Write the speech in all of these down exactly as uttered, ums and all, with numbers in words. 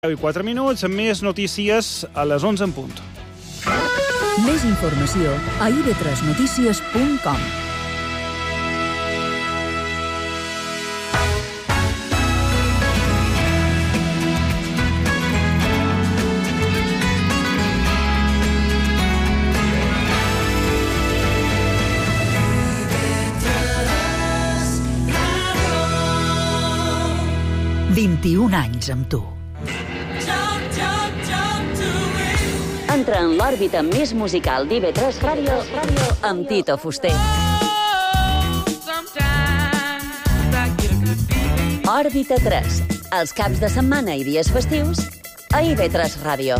deu i quatre minuts, amb més notícies a les onze en punt. Més informació a i ve tres notícies punt com. vint-i-un anys amb tu. Entra en l'òrbita més musical d'I ve tres Ràdio amb Tito Fuster. Òrbita tres, els caps de setmana i dies festius a I ve tres Ràdio.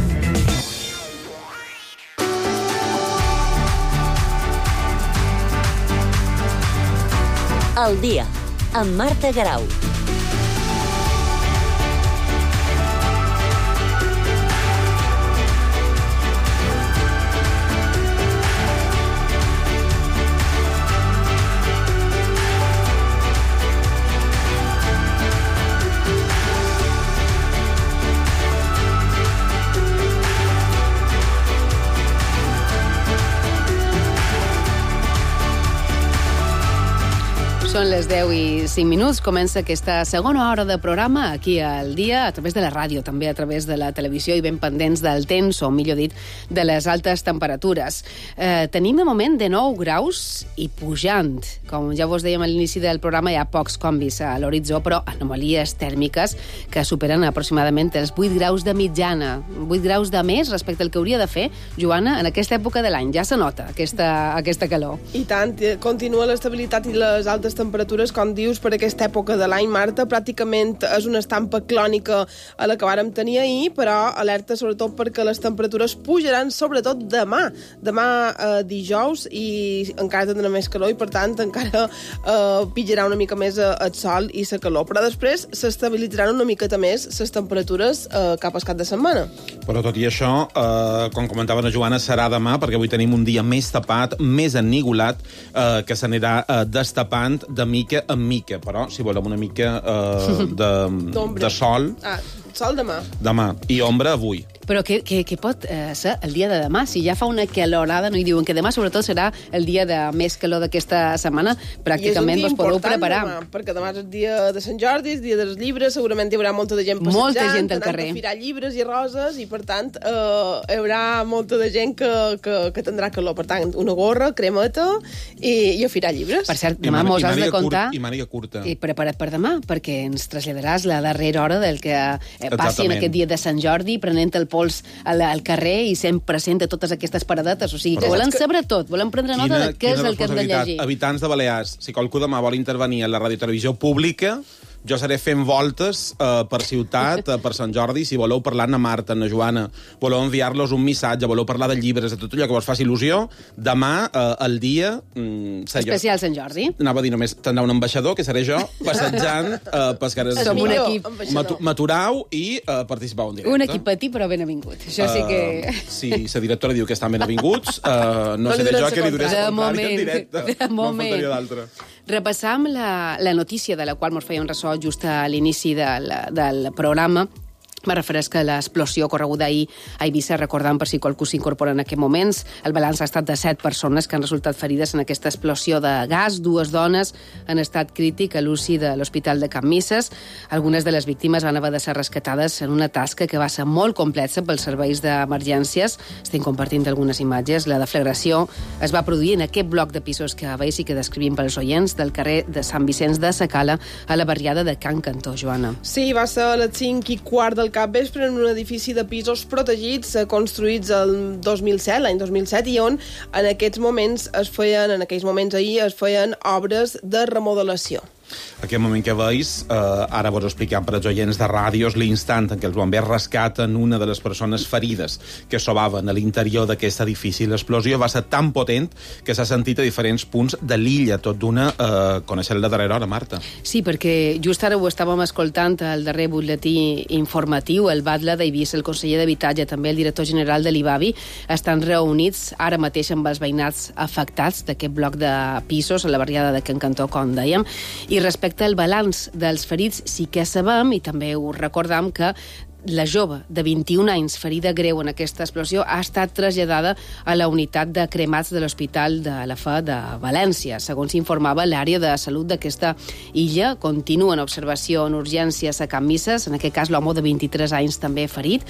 El dia, amb Marta Garau. Són les deu i cinc minuts. Comença aquesta segona hora de programa aquí al dia, a través de la ràdio, també a través de la televisió i ben pendents del temps, o millor dit, de les altes temperatures. Eh, tenim de moment de nou graus i pujant. Com ja vos dèiem a l'inici del programa, hi ha pocs canvis a l'horitzó, però anomalies tèrmiques que superen aproximadament els vuit graus de mitjana. vuit graus de més respecte al que hauria de fer, Joana, en aquesta època de l'any. Ja se nota aquesta, aquesta calor. I tant, continua l'estabilitat i les altes temperatures, com dius, per aquesta època de l'any, Marta. Pràcticament és una estampa clònica a la que vàrem tenir ahir, però alerta sobretot perquè les temperatures pujaran sobretot demà. Demà eh, dijous, i encara tindrà més calor i, per tant, encara eh, pillarà una mica més eh, el sol i la calor. Però després s'estabilitzaran una miqueta més les temperatures eh, cap al cap de setmana. Però tot i això, eh, com comentava la Joana, serà demà, perquè avui tenim un dia més tapat, més ennigolat, eh, que s'anirà eh, destapant de mica en mica, però si volem una mica eh, de, de sol... Ah, sol demà. Demà. I ombra avui. Però què, què, què pot eh, ser el dia de demà? Si ja fa una calorada, no hi diuen que demà sobretot serà el dia de més calor d'aquesta setmana, pràcticament vos podeu preparar. Demà, perquè demà és el dia de Sant Jordi, el dia dels llibres, segurament hi haurà molta de gent passejant, molta gent al carrer, anant a firar llibres i roses, i per tant eh, hi haurà molta de gent que, que, que tindrà calor. Per tant, una gorra, cremeta i, i a firar llibres. Per cert, demà mos has de contar... I màniga curta. I prepara't per demà, perquè ens traslladaràs la darrera hora del que eh, passi en aquest dia de Sant Jordi, prenent el pols al, al carrer i sent present de totes aquestes paradetes. O sigui, que volem saber tot, volem prendre nota de què és el que hem de llegir. Habitants de Balears, si qualcú demà vol intervenir en la radiotelevisió pública, jo seré fent voltes eh, per ciutat, eh, per Sant Jordi. Si voleu parlar amb Marta, amb Joana, voleu enviar-los un missatge, voleu parlar de llibres, de tot allò que vos faci il·lusió, demà, eh, el dia... Mm, especial Sant Jordi. Anava a dir només, tindrà un ambaixador, que seré jo, passejant eh, pels carrers. Som un equip. M'aturau i eh, participau en directe. Un equip petit, però ben avingut. Això sí que... Uh, si la directora diu que estan ben avinguts, uh, no, no seré jo que li duré el contrari en directe. De moment. No faltaria d'altre. Repassam la, la notícia de la qual ens feia un ressò just a l'inici del, del programa. Me refereix a l'explosió correguda ahir a Eivissa, recordant per si qualcú s'incorpora en aquests moments. El balanç ha estat de set persones que han resultat ferides en aquesta explosió de gas. Dues dones en estat crític a l'U C I de l'Hospital de Can Misses. Algunes de les víctimes van haver de ser rescatades en una tasca que va ser molt complexa pels serveis d'emergències. Estem compartint algunes imatges. La deflagració es va produir en aquest bloc de pisos que veus i que descrivim pels oients del carrer de Sant Vicenç de Sacala a la barriada de Can Cantó, Joana. Sí, va ser a les cinc i quart del capvespre en un edifici de pisos protegits eh, construïts el dos mil set, l'any dos mil set, i on en aquests moments es feien, en aquells moments ahir es feien obres de remodelació. Aquest moment que veus, eh, ara vos expliquem per als oients de ràdios l'instant en què els bombers rescaten una de les persones ferides que sobaven a l'interior d'aquest edifici. L'explosió va ser tan potent que s'ha sentit a diferents punts de l'illa, tot d'una eh, conèixer la darrera hora, Marta. Sí, perquè just ara ho estàvem escoltant al darrer butlletí informatiu, el batlle d'Eivissa, el conseller d'Habitatge, també el director general de l'I B A B I, estan reunits ara mateix amb els veïnats afectats d'aquest bloc de pisos a la barriada de Can Cantó, com dèiem, i respecte al balanç dels ferits sí que sabem, i també ho recordam, que la jove de vint-i-un anys, ferida greu en aquesta explosió, ha estat traslladada a la unitat de cremats de l'Hospital de la Fe de València. Segons informava l'àrea de salut d'aquesta illa, continua en observació en urgències a Can Misses, en aquest cas l'home de vint-i-tres anys també ferit,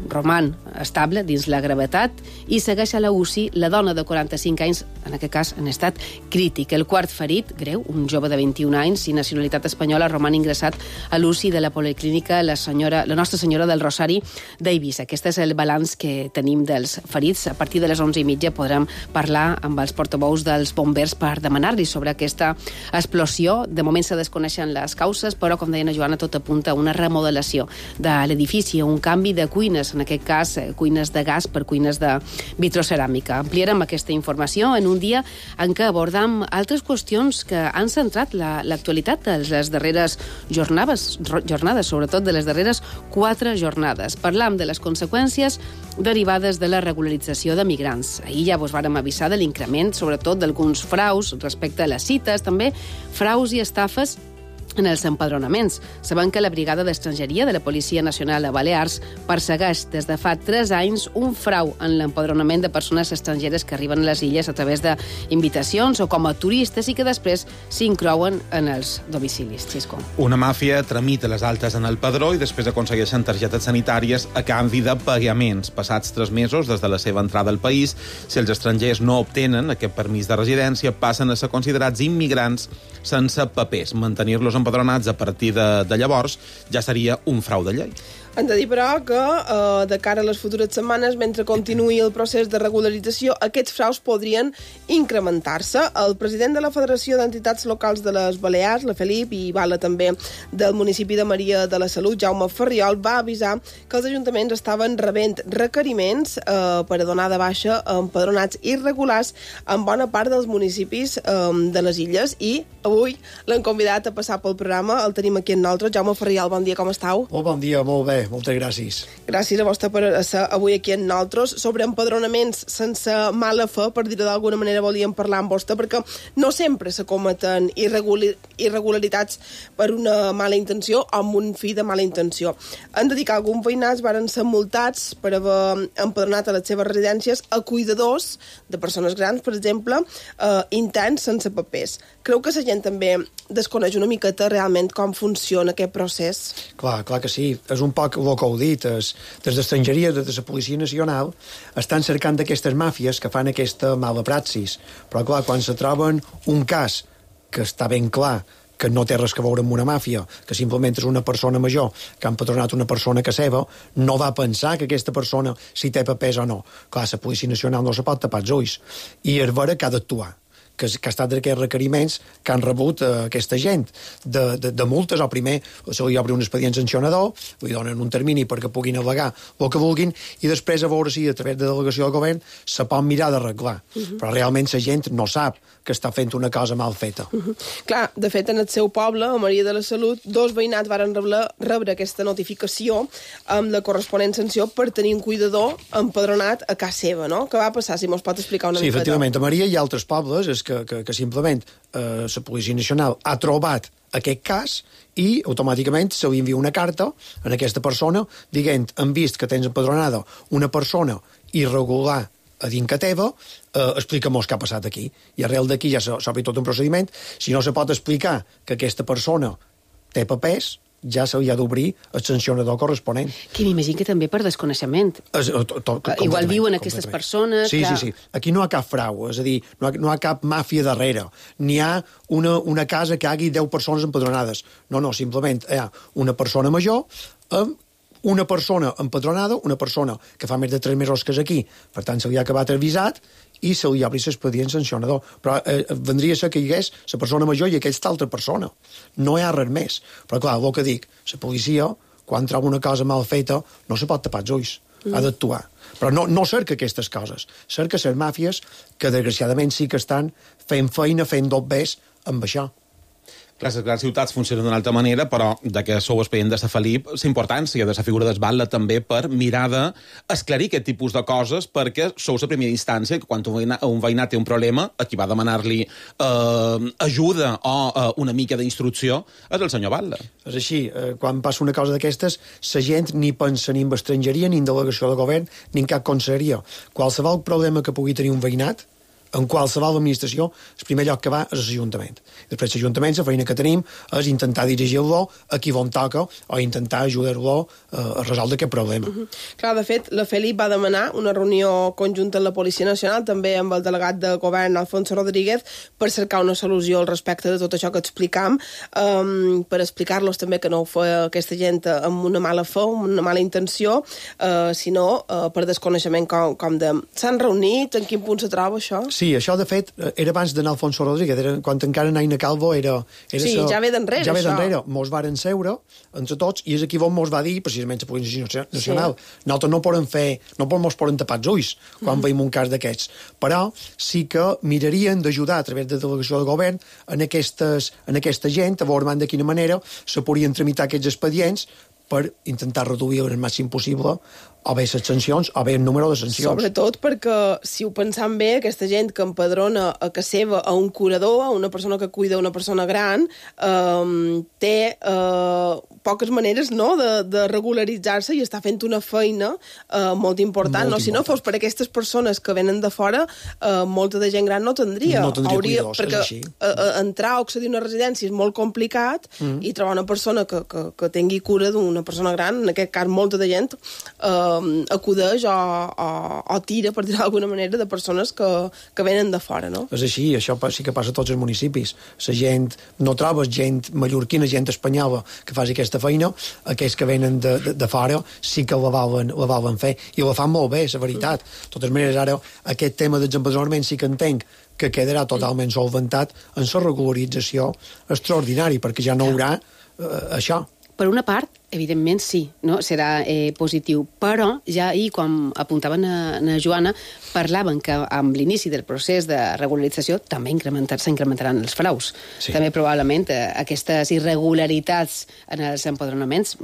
roman estable dins la gravetat i segueix a la U C I la dona de quaranta-cinc anys, en aquest cas en estat crític. El quart ferit, greu, un jove de vint-i-un anys i nacionalitat espanyola, roman ingressat a l'U C I de la Policlínica la, senyora, la Nostra Senyora del Rosari d'Eivissa. Aquest és el balanç que tenim dels ferits. A partir de les onze i mitja podrem parlar amb els portaveus dels bombers per demanar-li sobre aquesta explosió. De moment se desconeixen les causes, però, com deia la Joana, tot apunta a una remodelació de l'edifici, un canvi de cuines, en aquest cas cuines de gas per cuines de vitroceràmica. Ampliarem aquesta informació en un dia en què abordam altres qüestions que han centrat l'actualitat de les darreres jornades, jornades, sobretot de les darreres quatre jornades. Parlam de les conseqüències derivades de la regularització de migrants. Ahir ja vos vàrem avisar de l'increment, sobretot d'alguns fraus respecte a les cites, també fraus i estafes en els empadronaments. Sabem que la Brigada d'Estrangeria de la Policia Nacional de Balears persegueix des de fa tres anys un frau en l'empadronament de persones estrangeres que arriben a les illes a través d'invitacions o com a turistes i que després s'inclouen en els domicilis. Xisco. Una màfia tramita les altes en el padró i després aconsegueixen targetes sanitàries a canvi de pagaments. Passats tres mesos des de la seva entrada al país, si els estrangers no obtenen aquest permís de residència, passen a ser considerats immigrants sense papers. Mantenir-los empadronats a partir de, de llavors ja seria un frau de llei. Hem de dir, però, que eh, de cara a les futures setmanes, mentre continuï el procés de regularització, aquests fraus podrien incrementar-se. El president de la Federació d'Entitats Locals de les Balears, la Felip, i Bala també del municipi de Maria de la Salut, Jaume Ferriol, va avisar que els ajuntaments estaven rebent requeriments eh, per a donar de baixa empadronats irregulars en bona part dels municipis eh, de les illes, i avui l'han convidat a passar pel programa. El tenim aquí en nosaltres. Jaume Ferriol, bon dia, com estàu? Molt bon dia, molt bé. Moltes gràcies. Gràcies a vostè per ser avui aquí amb nosaltres. Sobre empadronaments sense mala fe, per dir-ho d'alguna manera, volíem parlar amb vostè, perquè no sempre se cometen irregular, irregularitats per una mala intenció o amb un fi de mala intenció. Han de dir que alguns veïnats varen ser multats per haver empadronat a les seves residències a cuidadors de persones grans, per exemple, eh, interns sense papers. Creu que la gent també desconeix una miqueta realment com funciona aquest procés? Clar, clar que sí. És un poc el que heu dit. Es, des d'estrangeria, des de la Policia Nacional, estan cercant d'aquestes màfies que fan aquesta mala praxis. Però, clar, quan se troben un cas que està ben clar que no té res que veure amb una màfia, que simplement és una persona major que ha empadronat una persona que seva, no va pensar que aquesta persona si té papers o no. Clar, la Policia Nacional no se pot tapar els ulls. I és vera que ha d'actuar. Que, que ha estat d'aquests requeriments que han rebut eh, aquesta gent de, de, de multes. O primer se li obre un expedient sancionador, li donen un termini perquè puguin al·legar el que vulguin, i després a veure si a través de delegació del govern se pot mirar d'arreglar. Uh -huh. Però realment la gent no sap que està fent una cosa mal feta. Uh -huh. Clar, de fet, en el seu poble, a Maria de la Salut, dos veïnats varen rebre, rebre aquesta notificació amb la corresponent sanció per tenir un cuidador empadronat a casa seva, no? Què va passar, si mos pot explicar una sí, mica? Sí, efectivament, a Maria i altres pobles és que, que, que simplement eh, la Policia Nacional ha trobat aquest cas i automàticament se li envia una carta a aquesta persona dient, hem vist que tens empadronada una persona irregular a dintre teva, eh, explica-mos què ha passat aquí. I arrel d'aquí ja s'obri tot un procediment. Si no se pot explicar que aquesta persona té papers, ja se li ha d'obrir el sancionador corresponent. Que m'imagino que també per desconeixement. Es, to, to, Igual diuen aquestes persones... Sí, que... sí, sí. Aquí no hi ha cap frau, és a dir, no hi ha, no hi ha cap màfia darrere. N'hi ha una, una casa que hi hagi deu persones empadronades. No, no, simplement hi ha una persona major amb una persona empadronada, una persona que fa més de tres mesos que és aquí, per tant se li ha acabat el visat i se li obri l'expedient sancionador. Però eh, vendria a ser que hi hagués la persona major i aquesta altra persona. No hi ha res més. Però clar, el que dic, la policia, quan troba una cosa mal feta, no se pot tapar els ulls. Mm. Ha d'actuar. Però no, no cerca aquestes coses. Cerca les màfies que, desgraciadament, sí que estan fent feina, fent dobbers amb això. Clar, les grans ciutats funcionen d'una altra manera, però de que sou expedient de la Felip, la importància de la figura d'Esbatla també per mirar d'esclarir aquest tipus de coses, perquè sou la primera instància que quan un veïnat, un veïnat té un problema, a qui va demanar-li eh, ajuda o eh, una mica d'instrucció és el senyor Batlle. És així, eh, quan passa una cosa d'aquestes, la gent ni pensa ni en estrangeria, ni en delegació de govern, ni en cap conselleria. Qualsevol problema que pugui tenir un veïnat, en qualsevol administració, el primer lloc que va és l'Ajuntament. Després l'Ajuntament, la feina que tenim és intentar dirigir-lo a qui on toca o intentar ajudar-lo a resoldre aquest problema. Uh -huh. Clar, de fet, la Felip va demanar una reunió conjunta amb la Policia Nacional, també amb el delegat de govern, Alfonso Rodríguez, per cercar una solució al respecte de tot això que explicam, um, per explicar-los també que no ho fa aquesta gent amb una mala fe, amb una mala intenció, uh, sinó uh, per desconeixement com, com de... S'han reunit? En quin punt se troba això? Sí, això, de fet, era abans d'anar Alfonso Rodríguez, era, quan encara Naina Calvo era... era sí, sa, ja ve d'enrere, ja ve això. d'enrere. Mos varen seure, entre tots, i és aquí on mos va dir, precisament, la Policia Nacional, sí. Nosaltres no podem fer, no mos poden tapar els ulls quan mm. veiem un cas d'aquests, però sí que mirarien d'ajudar a través de delegació de govern en, aquestes, en aquesta gent, a veure de quina manera se podrien tramitar aquests expedients per intentar reduir el màxim possible o bé les sancions o bé el número de sancions. Sobretot perquè, si ho pensam bé, aquesta gent que empadrona a casa seva a un curador, a una persona que cuida una persona gran, eh, té eh, poques maneres, no?, de, de regularitzar-se i està fent una feina eh, molt important. Molt no? Si no fos per aquestes persones que venen de fora, eh, molta de gent gran no tindria. No tindria Hauria, cuidadors, perquè és així. Eh, entrar o accedir a una residència és molt complicat mm. i trobar una persona que, que, que tingui cura d'una persona gran, en aquest cas molta de gent, eh, acudeix o, o, o tira, per dir-ho d'alguna manera, de persones que, que venen de fora, no? És així, això sí que passa a tots els municipis. La gent, no trobes gent mallorquina, gent espanyola que faci aquesta feina, aquells que venen de, de, de fora sí que la volen, la volen fer, i la fan molt bé, la veritat. De totes maneres, ara, aquest tema dels empadronaments sí que entenc que quedarà totalment solventat en la regularització extraordinària, perquè ja no hi haurà eh, això. Per una part, evidentment sí, no? Serà eh, positiu, però ja ahir, quan apuntaven a, a Joana, parlaven que amb l'inici del procés de regularització també incrementar, s'incrementaran els fraus. Sí. També probablement eh, aquestes irregularitats en els empadronaments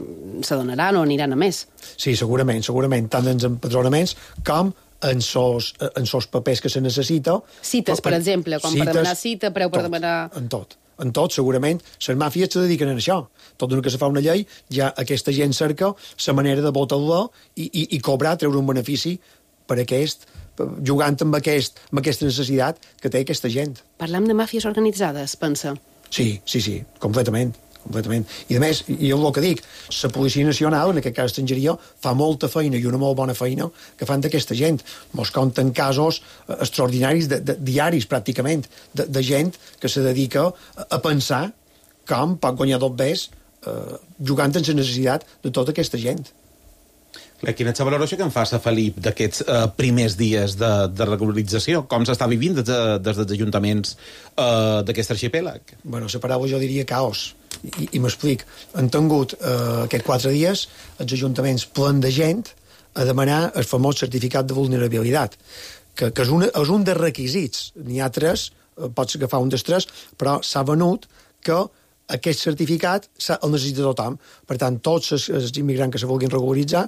s'adonaran o aniran a més. Sí, segurament, segurament, tant en els empadronaments com en sos, en sos papers que se necessita. Cites, per, per exemple, com cites, per demanar cita, preu per tot, demanar... En tot. En tot, segurament, les màfies se dediquen a això. Tot d'una que se fa una llei, ja aquesta gent cerca la manera de votar-la i, i, i cobrar, treure un benefici per aquest, jugant amb, aquest, amb aquesta necessitat que té aquesta gent. Parlam de màfies organitzades, pensa? Sí, sí, sí, completament. completament. I a més, i el que dic, la Policia Nacional, en aquest cas estrangeria, fa molta feina i una molt bona feina que fan d'aquesta gent. Mos compten casos extraordinaris, de, de, diaris pràcticament, de, de gent que se dedica a, a pensar com pot guanyar dos bes eh, jugant en la necessitat de tota aquesta gent. Quina és la valoració que en fa la Felip d'aquests eh, primers dies de, de regularització? Com s'està vivint des, de, des dels ajuntaments eh, d'aquest arxipèlag? Bueno, la paraula jo diria caos. I, i m'explic. Han tingut eh, aquests quatre dies els ajuntaments plens de gent a demanar el famós certificat de vulnerabilitat, que, que és, un, és un dels requisits. N'hi ha tres, eh, pots agafar un dels tres, però s'ha venut que aquest certificat el necessita tothom. Per tant, tots els, els immigrants que se vulguin regularitzar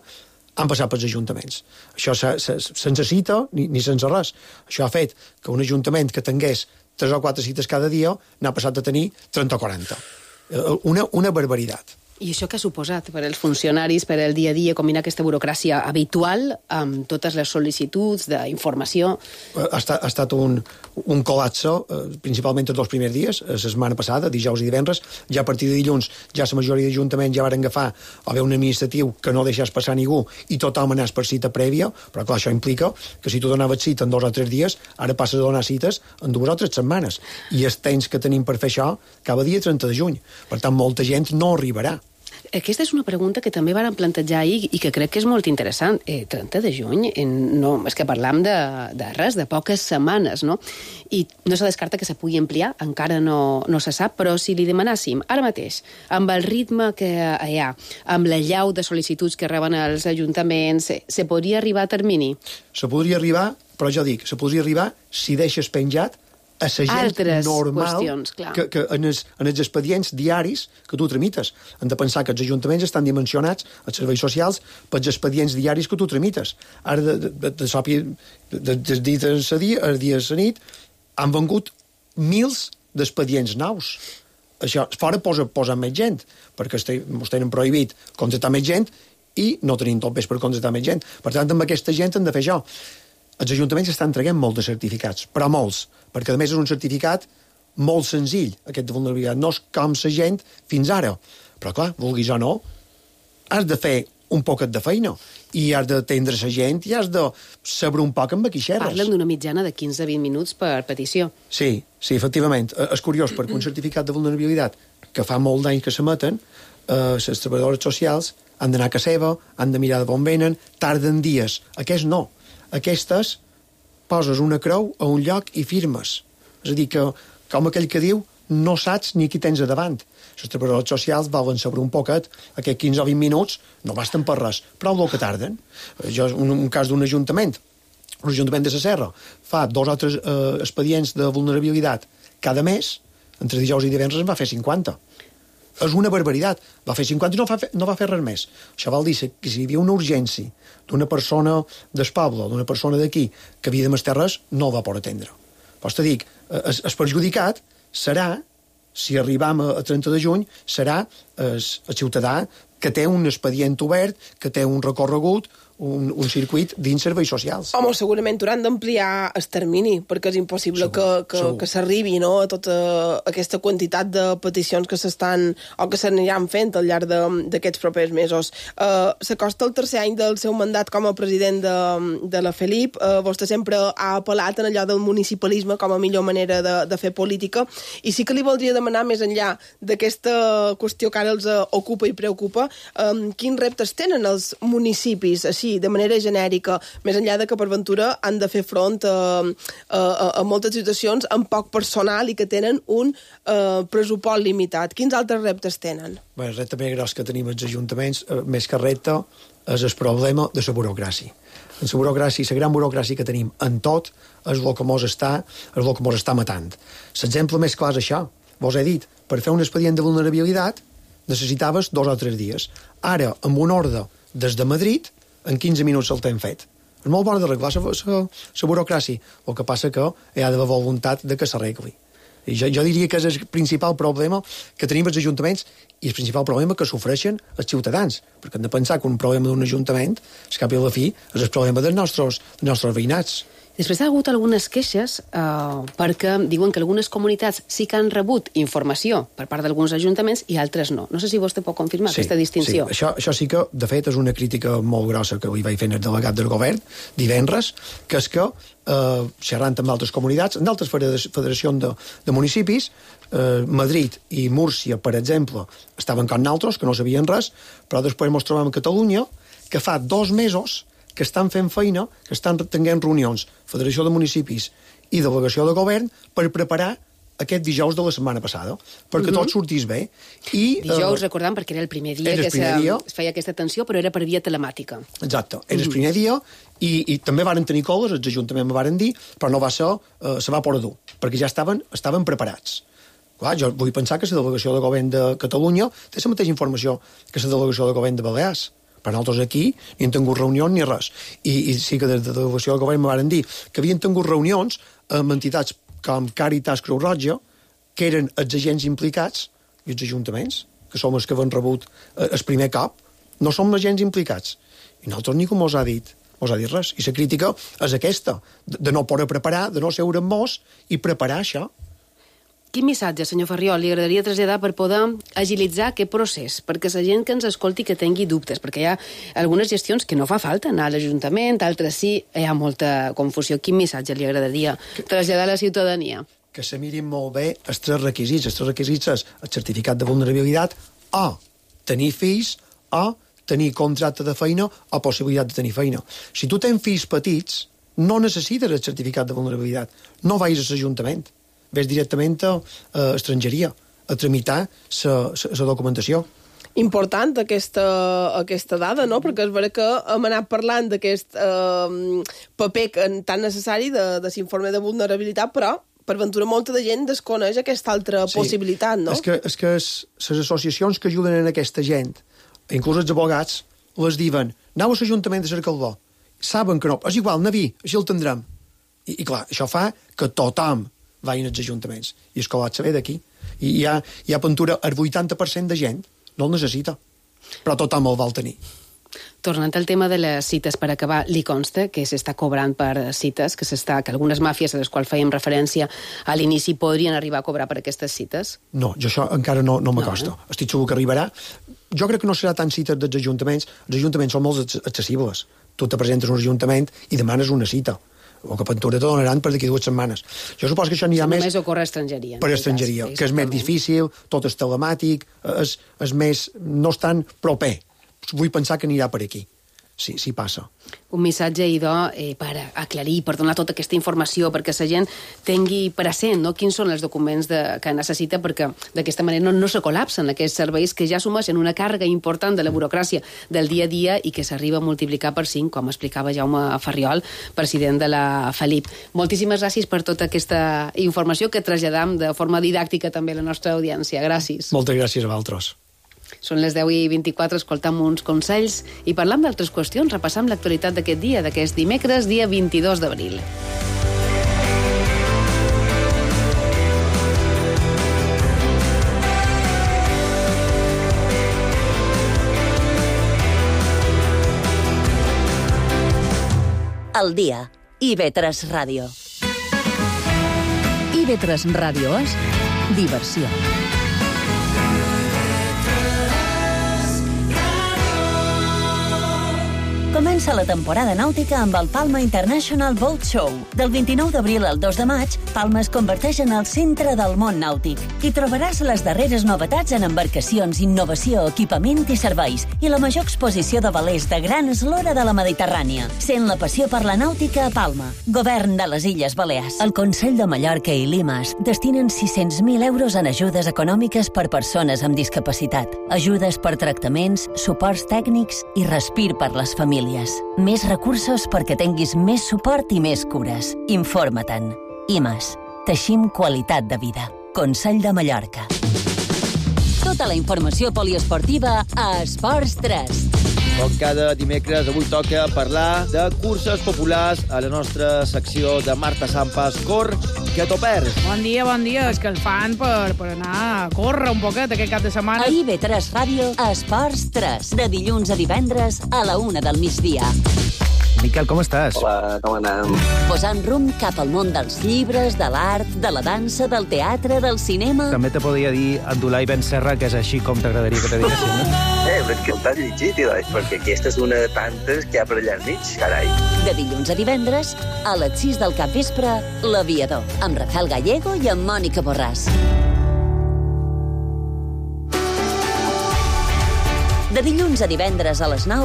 han passat pels ajuntaments. Això se, se, sense cita ni, ni sense res. Això ha fet que un ajuntament que tingués tres o quatre cites cada dia n'ha passat a tenir trenta o quaranta. Una, una barbaritat. I això què ha suposat per als funcionaris, per al dia a dia, combinar aquesta burocràcia habitual amb totes les sol·licituds d'informació? Ha estat, ha estat un, un col·lapse, principalment els dos primers dies, la setmana passada, dijous i divendres. Ja a partir de dilluns, ja la majoria d'ajuntaments ja van agafar o bé un administratiu que no deixés passar ningú i tothom anés per cita prèvia, però clar, això implica que si tu donaves cita en dos o tres dies, ara passes a donar cites en dues o tres setmanes. I els temps que tenim per fer això cada dia trenta de juny. Per tant, molta gent no arribarà. Aquesta és una pregunta que també van plantejar ahir i que crec que és molt interessant. Eh, trenta de juny, en, no, és que parlam de, de res, de poques setmanes, no? I no se descarta que se pugui ampliar, encara no, no se sap, però si li demanàssim ara mateix, amb el ritme que hi ha, amb la llau de sol·licituds que reben els ajuntaments, se, se podria arribar a termini? Se podria arribar, però jo dic, se podria arribar si deixes penjat a la gent altres normal qüestions, clar. que, que en, els, en els expedients diaris que tu tramites. Hem de pensar que els ajuntaments estan dimensionats, els serveis socials, pels expedients diaris que tu tramites. Ara, de, de, de, de, de, de, de dia a dia, el dia a la nit, han vengut mils d'expedients nous. Això, fora posa, posa més gent, perquè ens tenen prohibit contractar més gent i no tenim tot bé per contractar més gent. Per tant, amb aquesta gent hem de fer això. Els ajuntaments estan traient molts de certificats, però molts, perquè a més és un certificat molt senzill, aquest de vulnerabilitat. No és com la gent fins ara. Però clar, vulguis o no, has de fer un poquet de feina i has d'atendre la gent i has de saber un poc amb qui xerres. Parlen d'una mitjana de quinze a vint minuts per petició. Sí, sí, efectivament. És curiós, perquè un certificat de vulnerabilitat que fa molt d'anys que s'emeten, eh, les treballadores socials han d'anar a casa seva, han de mirar de on venen, tarden dies. Aquests no. Aquestes poses una creu a un lloc i firmes. És a dir, que, com aquell que diu, no saps ni qui tens a davant. Les treballadores socials volen saber un poquet, aquests quinze o vint minuts no basten per res, però el que tarden. Jo, un, un cas d'un ajuntament, un ajuntament de la Serra, fa dos o tres eh, expedients de vulnerabilitat cada mes, entre dijous i divendres en va fer cinquanta. És una barbaritat. Va fer cinquanta i no va fer, no va fer res més. Això vol dir que si hi havia una urgència d'una persona del poble, d'una persona d'aquí, que havia de més terres, no el va poder atendre. Però te dic, el, el perjudicat serà, si arribam a, a trenta de juny, serà el, el ciutadà que té un expedient obert, que té un recorregut, un, un circuit dins serveis socials. Home, segurament hauran d'ampliar el termini, perquè és impossible segur, que, que, que s'arribi, no?, a tota aquesta quantitat de peticions que s'estan o que s'aniran fent al llarg d'aquests propers mesos. Uh, S'acosta el tercer any del seu mandat com a president de, de la Felip. Uh, vostè sempre ha apel·lat en allò del municipalisme com a millor manera de, de fer política, i sí que li voldria demanar, més enllà d'aquesta qüestió que ara els ocupa i preocupa, um, quins reptes tenen els municipis, així, de manera genèrica, més enllà de que per ventura han de fer front a, a, a moltes situacions amb poc personal i que tenen un uh, pressupost limitat. Quins altres reptes tenen? Bé, el repte més gros que tenim els ajuntaments, eh, més que repte, és el problema de la burocràcia. En la burocràcia, la gran burocràcia que tenim en tot, és el que mos està, és el que mos està matant. L'exemple més clar és això. Vos he dit, per fer un expedient de vulnerabilitat necessitaves dos o tres dies. Ara, amb una ordre des de Madrid, en quinze minuts el t'hem fet. És molt bona d'arreglar la burocràcia. El que passa que hi ha d'haver voluntat de que s'arregli. I jo, jo diria que és el principal problema que tenim els ajuntaments i el principal problema que sofreixen els ciutadans. Perquè hem de pensar que un problema d'un ajuntament, al cap i a la fi, és el problema dels nostres, dels nostres veïnats. Després ha hagut algunes queixes eh, perquè diuen que algunes comunitats sí que han rebut informació per part d'alguns ajuntaments i altres no. No sé si vostè pot confirmar sí, aquesta distinció. Sí, això, això sí que, de fet, és una crítica molt grossa que li vaig fer el delegat del govern divendres, que és que, eh, xerrant amb altres comunitats, en altres federacions de, de municipis, eh, Madrid i Múrcia, per exemple, estaven com nosaltres, que no sabien res, però després ens trobem a Catalunya, que fa dos mesos que estan fent feina, que estan tenint reunions, Federació de Municipis i Delegació de Govern, per preparar aquest dijous de la setmana passada, perquè uh-huh. tot sortís bé. I, dijous, eh, recordant, perquè era el primer dia que primer se, dia. es feia aquesta atenció, però era per via telemàtica. Exacte, era uh-huh. el primer dia, i, i també varen tenir coles, els ajuntaments me varen dir, però no va ser, eh, se va poder dur, perquè ja estaven, estaven preparats. Clar, jo vull pensar que la Delegació de Govern de Catalunya té la mateixa informació que la Delegació de Govern de Balears. Per nosaltres aquí ni hem tingut reunions ni res. I, i sí que des de la delegació del govern me van dir que havien tingut reunions amb entitats com Càritas, Creu Roja, que eren els agents implicats, i els ajuntaments, que som els que havien rebut el primer cop, no som agents implicats. I nosaltres ningú mos ha dit, mos ha dit res. I la crítica és aquesta, de no poder preparar, de no seure amb mos i preparar això. Quin missatge, senyor Farriol, li agradaria traslladar per poder agilitzar aquest procés? Perquè la gent que ens escolti que tingui dubtes, perquè hi ha algunes gestions que no fa falta anar a l'Ajuntament, altres sí, hi ha molta confusió. Quin missatge li agradaria traslladar a la ciutadania? Que se mirin molt bé els tres requisits. Els tres requisits és el certificat de vulnerabilitat, o tenir fills, o tenir contracte de feina, o possibilitat de tenir feina. Si tu tens fills petits, no necessites el certificat de vulnerabilitat. No vagis a l'Ajuntament. Ves directament a, a estrangeria, a tramitar la documentació. Important aquesta, aquesta dada, no? Perquè és vera que hem anat parlant d'aquest eh, paper tan necessari de, de l'informe de vulnerabilitat, però per ventura molta de gent desconeix aquesta altra sí. possibilitat, no? És que, és que les associacions que ajuden a aquesta gent, inclús els abogats, les diuen, aneu a l'Ajuntament de Cercaldó. Saben que no, és igual, naví, així el tindrem. I, i clar, això fa que tothom vagin als ajuntaments. I és que l'ha de saber d'aquí. I hi ha, hi ha pintura, el vuitanta per cent de gent no el necessita, però tothom el vol tenir. Tornant al tema de les cites, per acabar, li consta que s'està cobrant per cites, que s'està que algunes màfies a les quals fèiem referència a l'inici podrien arribar a cobrar per aquestes cites? No, jo això encara no, no m'acosto. No, eh? Estic segur que arribarà. Jo crec que no serà tant cites dels ajuntaments. Els ajuntaments són molt accessibles. Tu te presentes a un ajuntament i demanes una cita. O que pintura te donaran per d'aquí dues setmanes. Jo suposo que això n'hi ha sí, més... Només ocorre a estrangeria. Per estrangeria, cas, que és més difícil, tot és telemàtic, és, és més... no és tan proper. Vull pensar que anirà per aquí. Sí, sí passa. Un missatge, idò, eh, per aclarir, per donar tota aquesta informació, perquè la gent tingui present, no?, quins són els documents de, que necessita, perquè d'aquesta manera no, no se col·lapsen aquests serveis que ja assumeixen una càrrega important de la burocràcia del dia a dia i que s'arriba a multiplicar per cinc, com explicava Jaume Farriol, president de la Felip. Moltíssimes gràcies per tota aquesta informació que traslladam de forma didàctica també a la nostra audiència. Gràcies. Moltes gràcies a vosaltres. Són les deu i vint-i-quatre, escoltam uns consells i parlam d'altres qüestions, repassam l'actualitat d'aquest dia, d'aquest dimecres, dia vint-i-dos d'abril. El dia. I ve tres Ràdio. I ve tres Ràdio és diversió. Comença la temporada nàutica amb el Palma International Boat Show. Del vint-i-nou d'abril al dos de maig, Palma es converteix en el centre del món nàutic. Hi trobaràs les darreres novetats en embarcacions, innovació, equipament i serveis i la major exposició de velers de gran eslora de la Mediterrània. Sent la passió per la nàutica a Palma. Govern de les Illes Balears. El Consell de Mallorca i Limas destinen sis-cents mil euros en ajudes econòmiques per persones amb discapacitat. Ajudes per tractaments, suports tècnics i respir per les famílies. Més recursos perquè tinguis més suport i més cures. Informa-te'n. I més. Teixim qualitat de vida. Consell de Mallorca. Tota la informació poliesportiva a Esports tres. Com cada dimecres, avui toca parlar de curses populars a la nostra secció de Marta Sampas. Cor, que t'ho perds. Bon dia, bon dia. És que el fan per, per anar a córrer un poquet aquest cap de setmana. A I ve tres Ràdio, a Esports tres. De dilluns a divendres a la una del migdia. Miquel, com estàs? Hola, com anem? Posant rumb cap al món dels llibres, de l'art, de la dansa, del teatre, del cinema... També te podria dir Abdulai Ben Serra, que és així com t'agradaria que te diguessin, no? Eh, però és que t'has llegit, doncs, perquè aquesta és una de tantes que hi ha per allà al mig, carai. De dilluns a divendres, a les sis del capvespre, L'Aviador, amb Rafael Gallego i amb Mònica Borràs. De dilluns a divendres a les nou,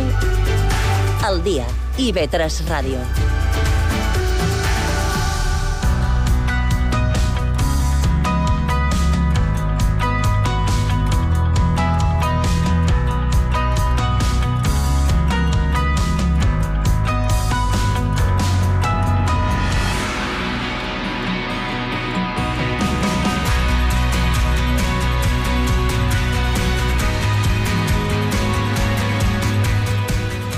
El dia, I ve tres Ràdio.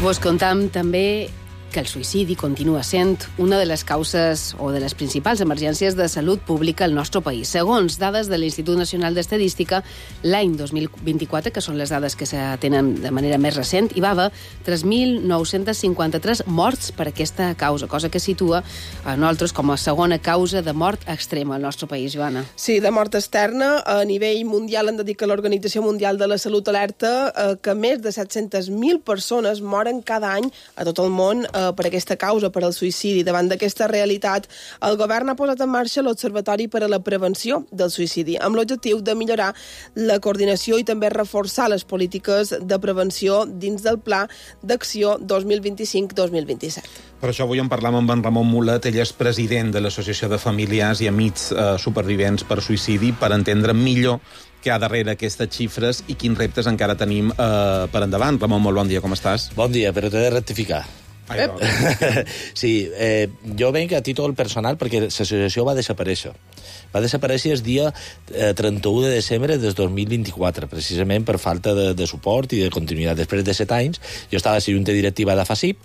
Vos contam també que el suïcidi continua sent una de les causes o de les principals emergències de salut pública al nostre país. Segons dades de l'Institut Nacional d'Estadística, l'any dos mil vint-i-quatre, que són les dades que se tenen de manera més recent, hi va haver tres mil nou-cents cinquanta-tres morts per aquesta causa, cosa que situa a nosaltres com a segona causa de mort extrema al nostre país, Joana. Sí, de mort externa. A nivell mundial han de dir que l'Organització Mundial de la Salut alerta eh, que més de set-centes mil persones moren cada any a tot el món eh, per aquesta causa, per al suïcidi. Davant d'aquesta realitat, el govern ha posat en marxa l'Observatori per a la Prevenció del Suïcidi, amb l'objectiu de millorar la coordinació i també reforçar les polítiques de prevenció dins del Pla d'Acció dos mil vint-i-cinc dos mil vint-i-set. Per això avui en parlam amb en Ramon Mulet. Ell és president de l'Associació de Familiars i Amics eh, Supervivents per Suïcidi, per entendre millor què hi ha darrere aquestes xifres i quins reptes encara tenim eh, per endavant. Ramon, molt bon dia, com estàs? Bon dia, però t'he de rectificar. Sí, eh, jo venc a títol personal perquè l'associació va desaparèixer. Va desaparèixer el dia eh, trenta-u de desembre del dos mil vint-i-quatre, precisament per falta de, de suport i de continuïtat. Després de set anys, jo estava a la junta directiva de FACIP,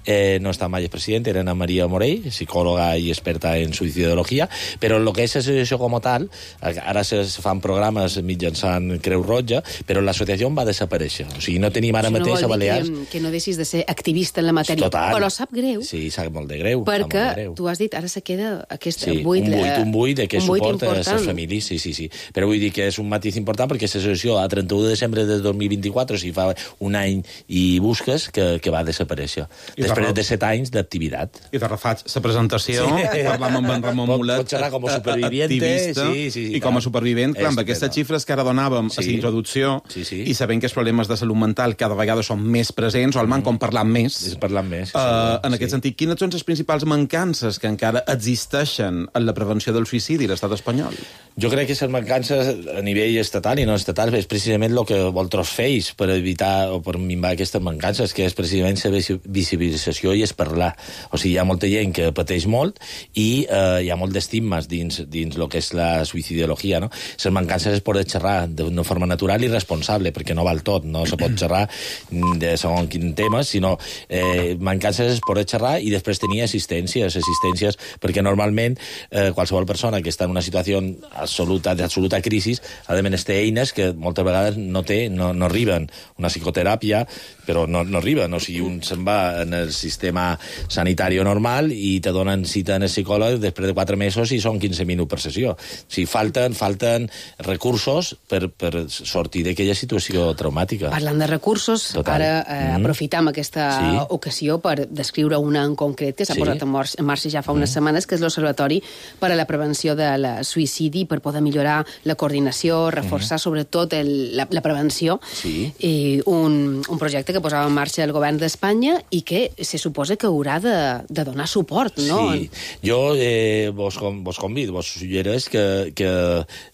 eh, no estava mai el president, era Ana Maria Morell, psicòloga i experta en suïcidologia, però el que és l'associació com a tal, ara se fan programes mitjançant Creu Roja, però l'associació va desaparèixer. O sigui, no tenim ara Això mateix no a vol dir Balears... que, que no deixis de ser activista en la matèria. Total. Però sap greu. Sí, sap molt de greu. Perquè, de greu. tu has dit, ara se queda aquest sí, buit... un buit, un buit de què suporta important. les famílies, sí, sí, sí. Però vull dir que és un matís important perquè l'associació a trenta-u de desembre de dos mil vint-i-quatre, o sigui, fa un any i busques, que, que va desaparèixer. I després de, de set anys d'activitat. I de refaig la presentació, sí. Parlam amb en Ramon Mulet, pot xerrar com a superviviente, sí, sí, sí, i com a supervivent, clar, amb aquestes xifres que ara donàvem sí. a la introducció, sí, sí. i sabent que els problemes de salut mental cada vegada són més presents, o almenys com parlant més, parlant més uh, en aquest sí. sentit, quines són les principals mancances que encara existeixen en la prevenció del suïcidi a l'estat espanyol? Jo crec que les mancances a nivell estatal i no estatal és precisament el que vosaltres feis per evitar o per minvar aquestes mancances, que és precisament la visibilització i és parlar. O sigui, hi ha molta gent que pateix molt i eh, hi ha molt d'estigmes dins, dins el que és la suïcidiologia, no? Les mancances es poden xerrar d'una forma natural i responsable, perquè no val tot, no se pot xerrar de segons quin tema, sinó eh, mancances es poden xerrar i després tenir assistències, assistències, perquè normalment eh, qualsevol persona que està en una situació absoluta, d'absoluta crisi, ha de menester eines que moltes vegades no té, no, no arriben. Una psicoteràpia, però no, no arriben. O sigui, un se'n va en el sistema sanitari normal i te donen cita en el psicòleg després de quatre mesos i són quinze minuts per sessió. O sigui, falten, falten recursos per, per sortir d'aquella situació traumàtica. Parlant de recursos, Total. ara eh, mm. aprofitam aquesta sí. ocasió per descriure una en concret que s'ha sí. posat en marxa ja fa unes mm. setmanes, que és l'Observatori per a la Prevenció del Suïcidi, per poder millorar la coordinació, reforçar mm. sobretot el, la, la prevenció, sí. i un, un projecte que posava en marxa el govern d'Espanya i que se suposa que haurà de, de donar suport, no? Sí. Jo eh, vos, vos convido, vos suggereix que, que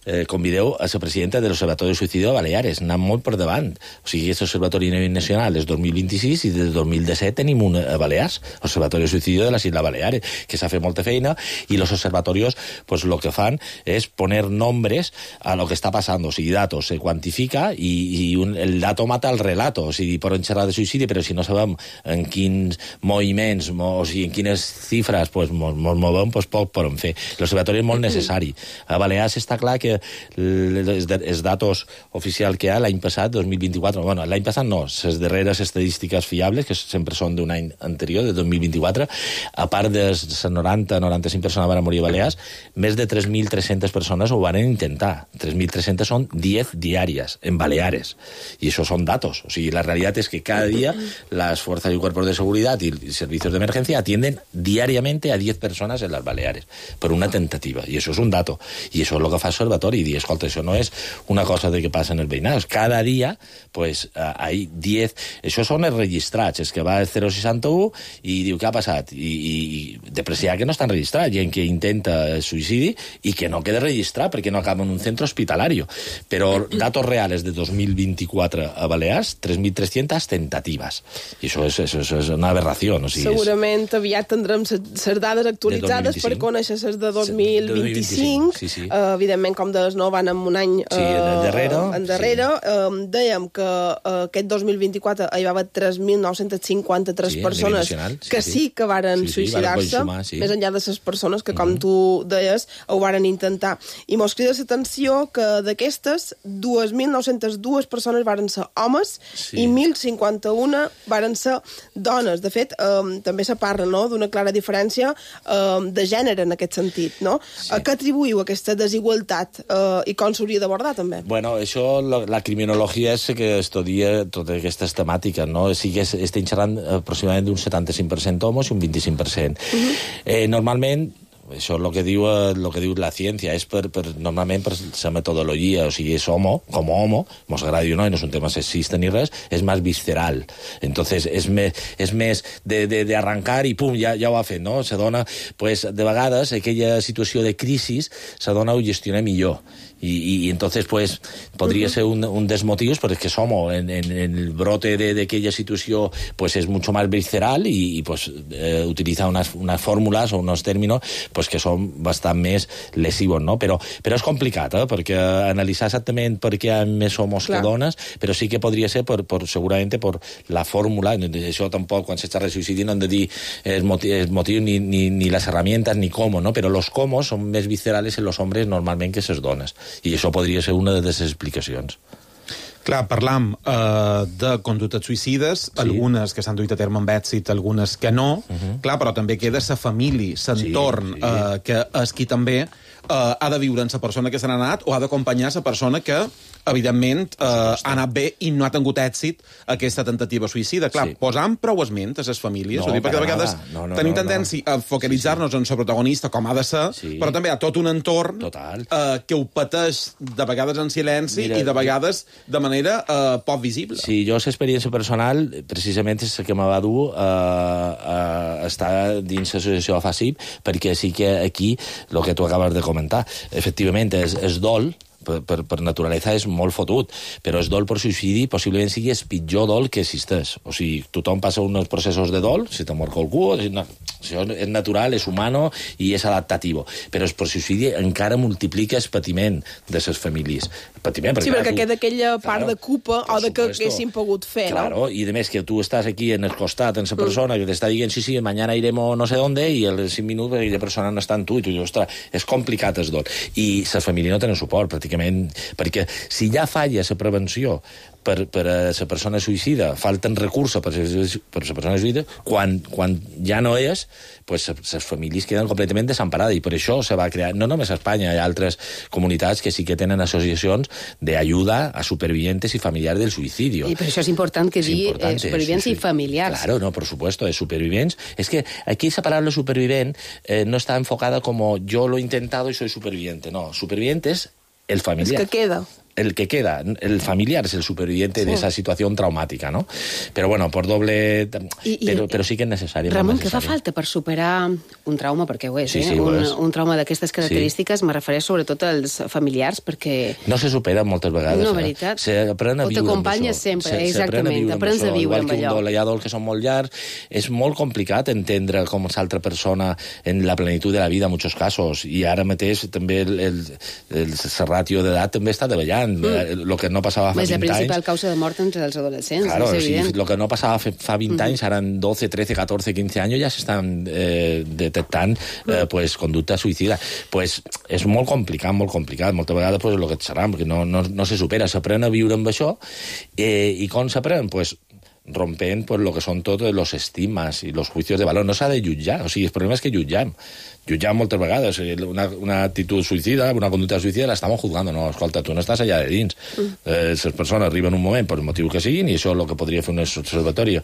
eh, convideu a la presidenta de l'Observatori de Suïcidi de Baleares, anant molt per davant. O sigui, aquest Observatori a nivell nacional és dos mil vint-i-sis i des del dos mil disset tenim un a Balears, l'Observatori de Suïcidi de les Isles Baleares, que s'ha fet molta feina, i els observatorios pues, lo que fan és poner nombres a lo que està passant, o sigui, datos se quantifica i, i un, el dato mata el relato, o sigui, poden xerrar de suïcidi, però si no sabem en quins moviments, o sigui, en quines xifres pues, mos, mos movem, pues, poc podem fer. L'observatori és molt necessari. A Balears està clar que els, els datos oficials que hi ha l'any passat, dos mil vint-i-quatre, bueno, l'any passat no, les darreres estadístiques fiables, que sempre són d'un any anterior, de dos mil vint-i-quatre, a part de les noranta noranta-cinc persones van morir a Balears, més de tres mil tres-centes persones ho van intentar. tres mil tres-centes són diez diàries en Baleares. Y eso son datos. O sea, la realidad es que cada día las fuerzas y cuerpos de seguridad y servicios de emergencia atienden diariamente a diez personas en las Baleares por una tentativa. Y eso es un dato. Y eso es lo que fa el Observatori. Y escolta, eso no es una cosa de que pasa en el veïnat. Cada día, pues, hay diez... Això són els registrats. És que va el zero seixanta u i diu, què ha passat? I, i, i depreciar que no estan registrats. Gent que intenta el suïcidi i que no queda registrat perquè no acaba en un centre hospitalario. Però datos reales de dos mil vint-i-quatre a Balears, tres mil tres-centes tentativas. I això és, això és una aberració. O sigui, segurament és... aviat tindrem les dades actualitzades per conèixer les de dos mil vint-i-cinc. Sí, sí. Uh, evidentment, com deies, no, van en un any uh, sí, en darrere. En darrere. Sí. Uh, dèiem que uh, aquest dos mil vint-i-quatre hi va haver tres mil nou-cents cinquanta-tres sí, persones que sí, sí que varen sí, sí, suïcidar-se, sí. més enllà de les persones que, com mm-hmm. tu deies, ho varen intentar. I mos crida l'atenció que d'aquestes, dos mil nou-centes dues persones varen ser homes sí. i mil cinquanta-un varen ser dones. De fet, eh, també se parla no, d'una clara diferència eh, de gènere en aquest sentit. No? Sí. A què atribuïu aquesta desigualtat eh, i com s'hauria d'abordar, també? Bueno, això, la, la criminologia és que estudia totes aquestes temàtiques, no? Sí que estem xerrant aproximadament d'un setanta-cinc per cent homes i un vint-i-cinc per cent. Uh-huh. eh, normalment, això és el que diu, el que diu la ciència, és per, per, normalment per la metodologia, o sigui, és homo, com homo, mos agradi o no, i no és un tema sexista ni res, és més visceral. Entonces, és més, és més de, de, de arrancar i pum, ja, ja ho ha fet, no? Se dona, pues, de vegades, aquella situació de crisi, se dona ho gestiona millor. Y, y entonces, pues, podría uh-huh. ser un, un desmotivos, pero es que somos, en, en, en el brote de, de aquella situación, pues es mucho más visceral y, y pues, eh, utiliza unas, unas fórmulas o unos términos, pues, que són bastant més lesius, no? Però, però és complicat, eh? Perquè analitzar exactament per què hi ha més homes Clar. que dones, però sí que podria ser, per, per, segurament, per la fórmula, això tampoc, quan se xerra de suïcidi, no hem de dir el motiu, el motiu ni, ni, ni les herramientas, ni cómo, no? Però los cómo són més viscerales en los hombres normalment que ses dones. I això podria ser una de les explicacions. Clar, parlam uh, de conductes suïcides, sí. algunes que s'han duit a terme amb èxit, algunes que no, uh-huh. clar, però també queda sa família, s'entorn, sí, sí. uh, que és qui també uh, ha de viure amb la persona que se n'ha anat o ha d'acompanyar la persona que, evidentment, uh, ha anat bé i no ha tingut èxit aquesta tentativa suïcida. Clar, sí. posam prou esment a les famílies, no, dir, perquè de vegades no, no, tenim no, tendència no. a focalitzar-nos sí, sí. en la protagonista, com ha de ser, sí. però també hi ha tot un entorn uh, que ho pateix de vegades en silenci Mira, i de vegades de manera Uh, poc visible. Sí, jo l'experiència personal precisament és la que me va dur a uh, uh, estar dins l'associació A F A S I P, perquè sí que aquí, el que tu acabes de comentar, efectivament és, és dol, per, per, per naturalesa és molt fotut, però és dol per suïcidi possiblement sigui el pitjor dol que existeix. O sigui, tothom passa uns processos de dol, si te mor qualcú, no, això és natural, és humano i és adaptatiu. Però el suïcidi encara multiplica el patiment de les famílies. Patiment, perquè, sí, perquè tu, queda aquella part claro, de culpa o de que haguéssim pogut fer, claro, no? I a més que tu estàs aquí en el costat, en la persona, mm. que t'està dient, sí, sí, mañana iremos no sé dónde, i als cinc minuts aquella persona no està en tu, i tu dius, ostres, és complicat el dol. I la família no tenen suport, pràcticament, perquè si ja falla la prevenció per, per a la persona suïcida, falten recursos per a la persona suïcida, quan, quan ja no és, pues les famílies queden completament desemparades, i per això se va crear, no només a Espanya, hi ha altres comunitats que sí que tenen associacions d'ajuda a supervivientes i familiars del suïcidi. I per això és important que dir eh, supervivents sí, sí. i familiars. Claro, no, por supuesto, de supervivents. Es que aquí esa palabra supervivent eh, no está enfocada como yo lo he intentado y soy superviviente. No, superviviente es el familiar. Es que queda. El que queda, el familiar es el superviviente sí. de esa situación traumática, ¿no? Pero bueno, por doble... I, però, però sí que és necessari. Ramon, què fa falta per superar un trauma? Perquè ho és, sí, eh? Sí, ho un, és. un trauma d'aquestes característiques, sí. me refereix sobretot als familiars, perquè... No se supera moltes vegades. No, veritat. Se aprèn a o viure t'acompanyes sempre, se, exactament. Aprens a viure amb allò. Igual que un dol, hi ha dols que són molt llargs. És molt complicat entendre com és l'altra persona en la plenitud de la vida, en molts casos. I ara mateix també el, el, el, el ratio d'edat també està davallant. Mm. Lo que no passava fa vint anys... És la principal anys, causa de mort entre els adolescents, claro, és evident. Sí, lo que no passava fa vint mm. anys, ara en doce, trece, catorce, quince anys ja s'estan eh, detectant eh, pues, conducta suïcida. Pues, és molt complicat, molt complicat. Moltes vegades pues, el que et serà, perquè no, no, no se supera. S'aprèn a viure amb això, eh, i com s'aprèn? Pues, rompent pues, lo que són tots los estigmas i los juicios de valor. No s'ha de jutjar, o sigui, el problema és que jutjam. Jutjam moltes vegades. Una, una actitud suïcida, una conducta suïcida, la estamos juzgando. No, escolta, tu no estàs allà de dins. Mm. Eh, les persones arriben un moment, per el motiu que siguin, i això és el que podria fer un observatori,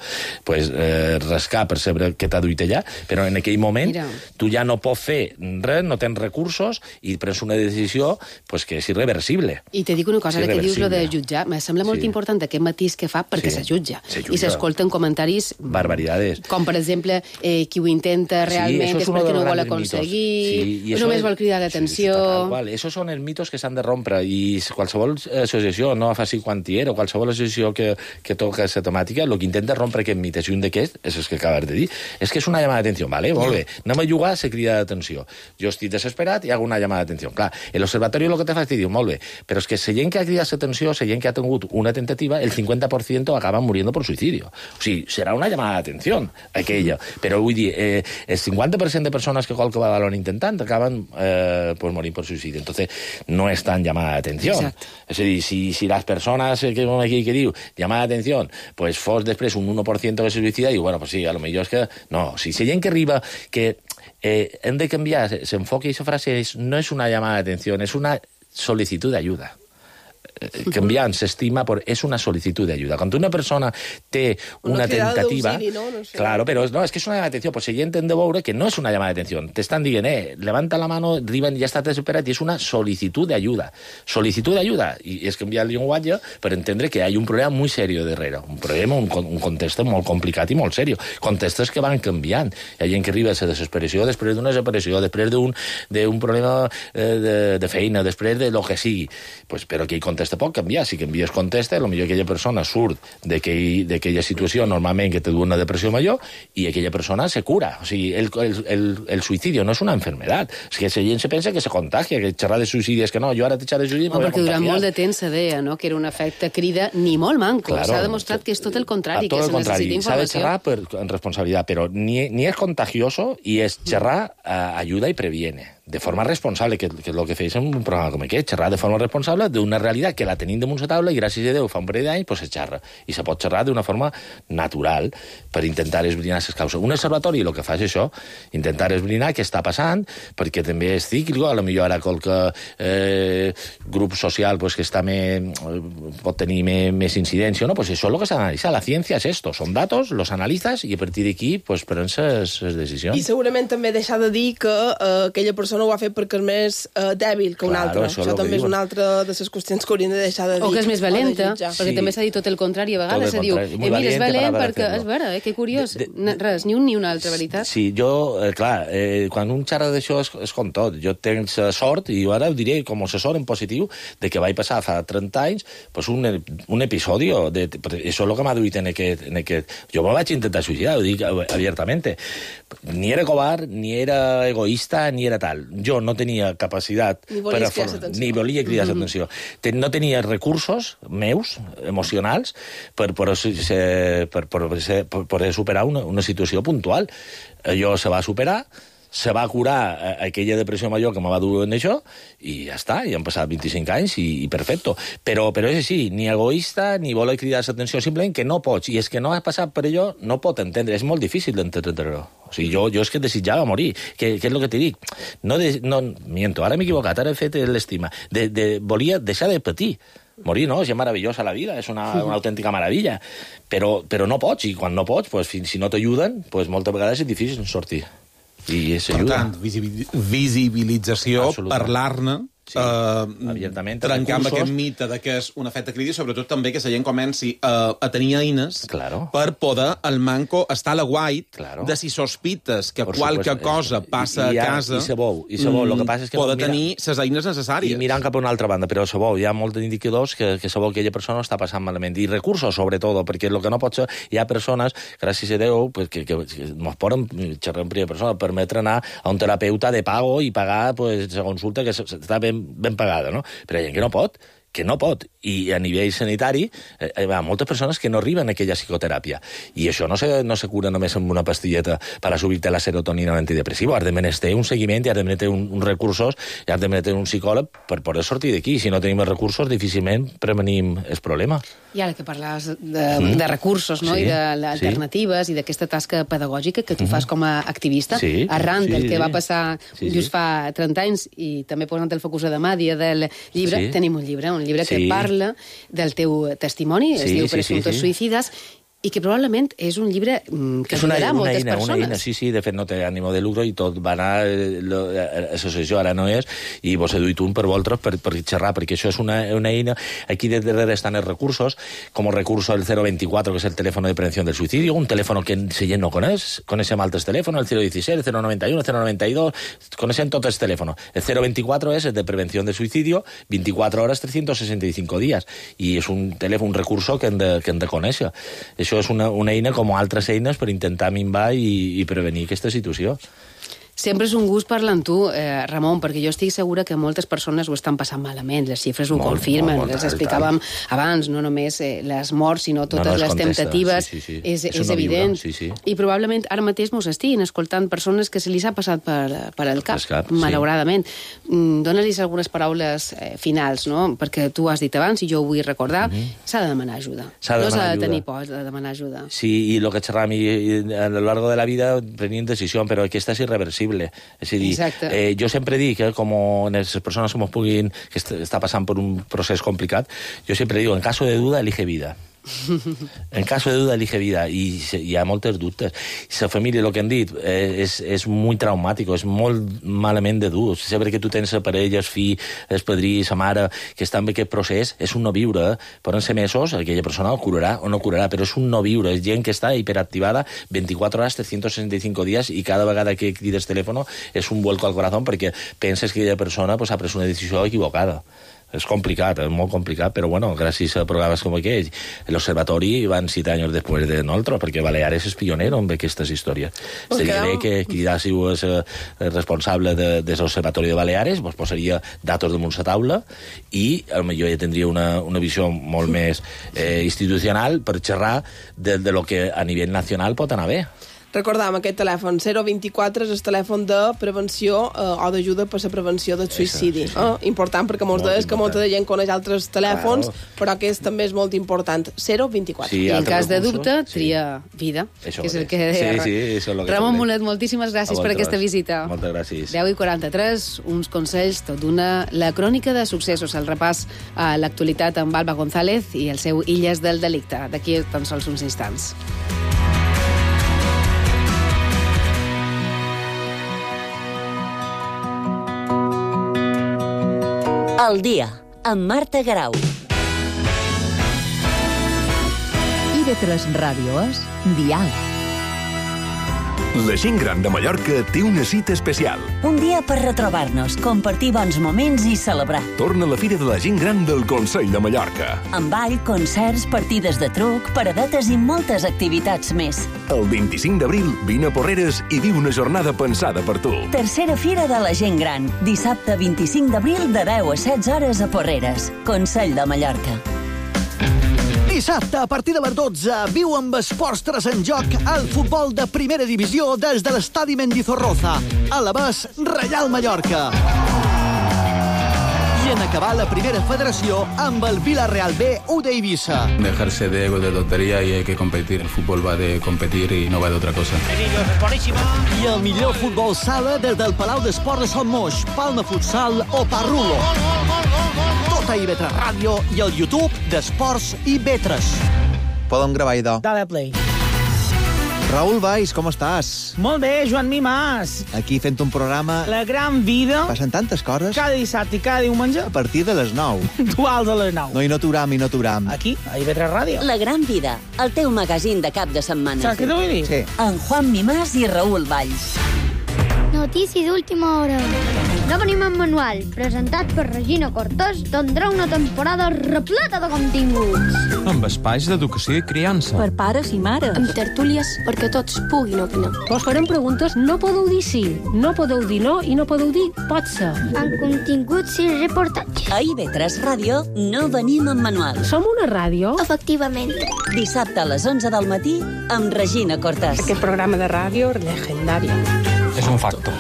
pues, eh, rascar per saber què t'ha duit allà, però en aquell moment Mira. tu ja no pots fer res, no tens recursos, i prens una decisió pues, que és irreversible. I te dic una cosa, ara que dius lo de jutjar, me sembla molt sí. important aquest matís que fa perquè sí. se jutja. Se jutja. I s'escolten comentaris... Barbaridades. Com, per exemple, eh, qui ho intenta realment sí, és perquè no ho vol aconseguir, sí, i només vol cridar l'atenció... Sí, sí, esos són els mitos que s'han de rompre, i qualsevol associació, no faci quantier, o qualsevol associació que, que toca aquesta temàtica, el que intenta rompre aquest mit, i un d'aquests és el que acabes de dir. És que és una llamada d'atenció, vale? Molt bé, anem a jugar, se crida d'atenció. Jo estic desesperat i hago una llamada d'atenció. Clar, l'observatori el que te fa és dir, molt bé, però és que la gent que ha cridat l'atenció, la gent que ha tingut una tentativa, el cincuenta por ciento acaba muriendo por suicidio. O sigui, serà una llamada d'atenció, aquella. Però vull dir, eh, el cincuenta por ciento de persones que qualque vegada intentant acaben eh, pues, morint per suïcidi. Entonces, no és tan llamada d'atenció. És a dir, si, si les persones que, aquí, que diu llamada d'atenció, pues fos després un uno por ciento que se suïcida, i bueno, pues sí, a lo millor és que... No, si hi ha gent que arriba que eh, hem de canviar, s'enfoca i aquesta frase és, no és una llamada d'atenció, és una sol·licitud d'ajuda. canviant s'estima, és una sol·licitud d'ajuda. Quan una persona té una, una tentativa... No? No sé. Claro, però no, és que és una llamada d'atenció. Pues el gent hem de veure que no és una llamada d'atenció. T'estan dient, eh, levanta la mano, arriben, ja està desesperat, i és una sol·licitud d'ajuda. Sol·licitud d'ajuda. I és canviar el llenguatge per entendre que hi ha un problema molt seriós darrere. Un problema, un, un context molt complicat i molt seriós. Contextos que van canviant. Hi ha gent que arriba a la desesperació després d'una desesperació, després d'un, d'un problema eh, de, de feina, després de lo que sigui. Pues, però aquell context pot canviar. Si canvies context, potser aquella persona surt d'aquella situació normalment que té una depressió major i aquella persona se cura. O sigui, el, el, el, el suïcidi no és una enfermedad. És que la gent se pensa que se contagia, que xerrar de suïcidi és que no, jo ara te xerrar de suïcidi no, perquè durant molt de temps se deia, no?, que era un efecte crida ni molt manco. Claro, s'ha demostrat que és tot el contrari, tot que el se contrari. necessita S'ha de informació. xerrar per, en responsabilitat, però ni, ni és contagioso i és xerrar eh, ajuda i previene. De forma responsable, que, que és el que feies en un programa com aquest, xerrar de forma responsable d'una realitat que la tenim damunt la taula i gràcies a Déu fa un parell d'anys pues, se xerra. I se pot xerrar d'una forma natural per intentar esbrinar les causes. Un observatori el que fa és això, intentar esbrinar què està passant, perquè també és cíclico, a lo millor ara qualque eh, grup social pues, que està més, pot tenir més, més incidència, no? Pues això és el que s'ha d'analitzar. La ciència és esto, són datos, los analitzes i a partir d'aquí pues, prens les decisions. I segurament també deixar de dir que eh, aquella persona no ho ha fet perquè és més uh, dèbil que una claro, altra. Això, això també és una altra de les qüestions que haurien de deixar de dir. O que és més valenta, perquè sí. també s'ha dit tot el contrari. A vegades se diu, eh, mira, és valent perquè... És vera, eh? Que curiós. De, de, Res, ni un ni una altra, veritat. Sí, jo, eh, clar, eh, quan un xerra d'això és, és com tot. Jo tenc sort, i ara ho diré com a assessor en positiu, de que vaig passar fa trenta anys pues un, un episodi, de, això és el que m'ha duit en aquest, en aquest... Jo me vaig intentar suïcidar, ho dic abiertament. Ni era covard, ni era egoista, ni era tal. Jo no tenia capacitat... Ni volia cridar l'atenció. Ni volia cridar l'atenció. Mm-hmm. No tenia recursos meus, emocionals, per poder, per, per, per poder superar una, una situació puntual. Allò se va superar, se va curar aquella depressió major que me va dur en això, i ja està, i han passat vint-i-cinc anys i, i perfecto. Però, però és així, ni egoista, ni voler cridar l'atenció, simplement que no pots, i és que no has passat per allò, no pot entendre, és molt difícil d'entendre-ho. O sigui, jo, jo és que desitjava morir, que, que és el que t'he dit. No, de, no, miento, ara m'he equivocat, ara he fet l'estima. De, de, volia deixar de patir. Morir, no? És meravellosa la vida, és una, una autèntica meravella. Però, però no pots, i quan no pots, pues, si no t'ajuden, pues, moltes vegades és difícil sortir. I per tant, visibilització, parlar-ne, sí, uh, trencar amb aquest mite de que és un efecte crític, sobretot també que la gent comenci uh, a tenir eines claro. per poder el manco estar a la guait claro. de si sospites que por qualque supuesto, cosa passa i, i, a casa, i sabou, i sabou. Lo que passa és que poder mira, tenir les eines necessàries. I mirant cap a una altra banda, però sabou, hi ha molts indicadors que, que sabou que aquella persona està passant malament. I recursos, sobretot, perquè el que no pot ser, hi ha persones, gràcies a Déu, pues, que, que, que ens poden xerrar en primera persona, permetre anar a un terapeuta de pago i pagar pues, la consulta que està ben, ben pagada, no? Però hi ha gent que no pot, que no pot. I a nivell sanitari eh, hi ha moltes persones que no arriben a aquella psicoteràpia. I això no se, no se cura només amb una pastilleta per a subir-te la serotonina antidepressiva. Has de menester un seguiment i has de menester un, uns recursos i has de menester un psicòleg per poder sortir d'aquí. Si no tenim els recursos, difícilment prevenim el problema. I ara que parlaves de, mm. de recursos, no? Sí, I d'alternatives sí. i d'aquesta tasca pedagògica que tu mm. fas com a activista, sí, arran sí, del que sí. va passar sí, just sí. fa trenta anys, i també posant el focus a demà, dia del llibre, sí. tenim un llibre, un llibre sí. que parla del teu testimoni, sí, es diu sí, Presumptos sí, sí. suïcides, i que probablement és un llibre que és una, ajudarà una moltes eina, persones. Una eina, sí, sí, de fet no té ànimo de lucro i tot va anar, l'associació ara no és, i vos he duit un per vosaltres per, per xerrar, perquè això és una, una eina, aquí de darrere estan els recursos, com el recurso del cero veinticuatro, que és el telèfon de prevenció del suïcidi, un telèfon que la gent no coneix, coneixem altres telèfons, el cero dieciséis, el cero noventa y uno, el cero noventa y dos, coneixem tots els telèfons. El cero veinticuatro és el de prevenció del suïcidi, veinticuatro hores, trescientos sesenta y cinco días, i és un telèfon, un recurso que hem de, que hem de conèixer. Això és una, una eina com altres eines per intentar minvar i, i prevenir aquesta situació. Sempre és un gust parlar amb tu, eh, Ramon, perquè jo estic segura que moltes persones ho estan passant malament, les xifres ho molt, confirmen, molt, molt, les explicàvem abans, no només eh, les morts, sinó totes no, no, les contesta. temptatives, sí, sí, sí. és, és, és evident. Sí, sí. I probablement ara mateix mos estiguin escoltant persones que se li ha passat per, per el cap, cap malauradament. Sí. Dóna-lis algunes paraules eh, finals, no? Perquè tu has dit abans, i jo ho vull recordar, mm-hmm. s'ha de demanar ajuda. S'ha de no s'ha de ajuda. tenir por de demanar ajuda. Sí, i el que xerram, i, i a lo largo de la vida prenim decisió, però aquesta és irreversible. irreversible. És a dir, eh, jo sempre dic que com les persones que, puguin, que est està passant per un procés complicat, jo sempre dic, en caso de duda, elige vida. En caso de duda, elige vida. I hi ha moltes dubtes. La família, el que han dit, és, és molt traumàtic, és molt malament de dur. Sempre que tu tens la parella, el fill, el padrí, la mare, que està en aquest procés, és un no viure. Poden ser mesos, aquella persona ho curarà o no curarà, però és un no viure. És gent que està hiperactivada veinticuatro hores, trescientos sesenta y cinco días, i cada vegada que crides telèfon és un vuelco al corazón perquè penses que aquella persona pues, ha pres una decisió equivocada. És complicat, és molt complicat, però bueno, gràcies a programes com aquell, l'Observatori van set anys després de nosaltres, perquè Baleares és pionero en aquestes històries. Pues Estaria bé que cridàssiu el responsable de, de l'Observatori de Baleares, vos posaria datos damunt la taula i potser ja tindria una, una visió molt més eh, institucional per xerrar de, de lo que a nivell nacional pot anar bé. Recordam aquest telèfon, zero vint-i-quatre és el telèfon de prevenció eh, o d'ajuda per la prevenció del suïcidi. Sí. Eh? Important, perquè molts deies que molta de gent coneix altres telèfons, claro. Però aquest també és molt important. zero vint-i-quatre. Sí, I en cas de dubte, tria sí. vida, això que és el que deia. Sí, sí, això és el que Ramon Mulet, moltíssimes gràcies per aquesta visita. Moltes gràcies. deu i quaranta-tres, uns consells, tot d'una... La crònica de successos, el repàs a l'actualitat amb Alba González i el seu Illes del Delicte. D'aquí tan sols uns instants. El dia, amb Marta Garau. I de tres Ràdio és Dial. La gent gran de Mallorca té una cita especial. Un dia per retrobar-nos, compartir bons moments i celebrar. Torna la Fira de la Gent Gran del Consell de Mallorca. Amb ball, concerts, partides de truc, paradetes i moltes activitats més. El vint-i-cinc d'abril, vine a Porreres i viu una jornada pensada per tu. Tercera Fira de la Gent Gran. Dissabte vint-i-cinc d'abril de deu a setze hores a Porreres. Consell de Mallorca. Dissabte, a partir de les dotze, viu amb Esports tres en joc el futbol de primera divisió des de l'estadi Mendizorroza. A la vez, Reial Mallorca. I en acabar la primera federació amb el Villarreal B u d'Eivissa. Dejarse de ego de tontería y hay que competir. El fútbol va de competir y no va de otra cosa. I el millor futbol sala des del Palau d'Esports de Sant Moix, Palma Futsal o Parrulo. Tot a I V tres Ràdio i el YouTube d'Esports I V tres. Podem gravar, idò. Dale play. Raül Valls, com estàs? Molt bé, Joan Mimàs. Aquí fent un programa... La gran vida. Passen tantes coses. Cada dissabte i cada diumenge. A partir de les nou. Duals a les nou. No, i no t'uram, i no t'uram. Aquí, a I V tres Ràdio. La gran vida, el teu magazín de cap de setmana. Saps què t'ho vull dir? Sí. En Juan Mimàs i Raül Valls. Notícies d'última hora. No venim en manual, presentat per Regina Cortés, tindrà una temporada repleta de continguts. Amb espais d'educació i criança. Per pares i mares. Amb tertúlies perquè tots puguin opinar. Vos farem preguntes, no podeu dir sí, no podeu dir no i no podeu dir pot ser. Amb continguts i reportatges. A I V tres Ràdio no venim en manual. Som una ràdio? Efectivament. Dissabte a les onze del matí amb Regina Cortés. Aquest programa de ràdio legendari. És un facto.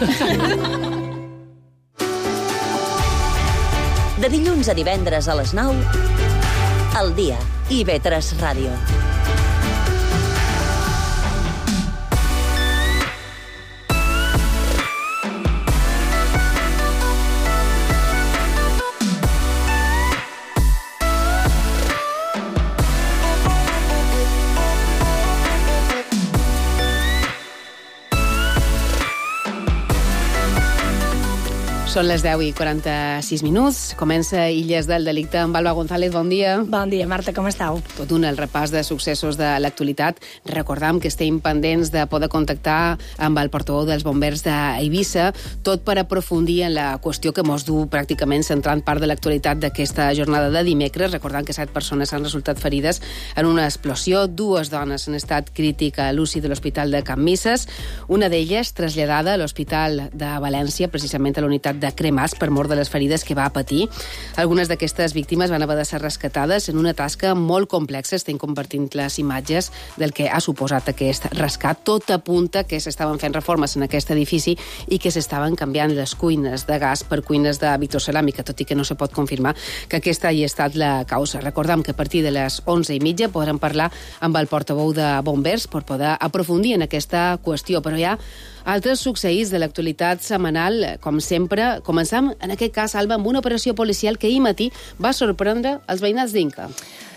De dilluns a divendres a les nou, al dia, I V tres Ràdio. Són les deu i quaranta-sis minuts. Comença Illes del Delicte amb Alba González. Bon dia. Bon dia, Marta, com estàu? Tot un el repàs de successos de l'actualitat. Recordam que estem pendents de poder contactar amb el portaveu dels bombers d'Eivissa, tot per aprofundir en la qüestió que mos du pràcticament centrant part de l'actualitat d'aquesta jornada de dimecres. Recordant que set persones han resultat ferides en una explosió. Dues dones en estat crític a l'U C I de l'Hospital de Can Misses. Una d'elles traslladada a l'Hospital de València, precisament a l'unitat de cremats per mort de les ferides que va patir. Algunes d'aquestes víctimes van haver de ser rescatades en una tasca molt complexa. Estem compartint les imatges del que ha suposat aquest rescat. Tot apunta que s'estaven fent reformes en aquest edifici i que s'estaven canviant les cuines de gas per cuines de vitroceràmica, tot i que no se pot confirmar que aquesta hi ha estat la causa. Recordem que a partir de les onze i mitja podrem parlar amb el portaveu de Bombers per poder aprofundir en aquesta qüestió, però hi ha altres succeïts de l'actualitat setmanal, com sempre. Començam, en aquest cas, Alba, amb una operació policial que ahir matí va sorprendre els veïnats d'Inca.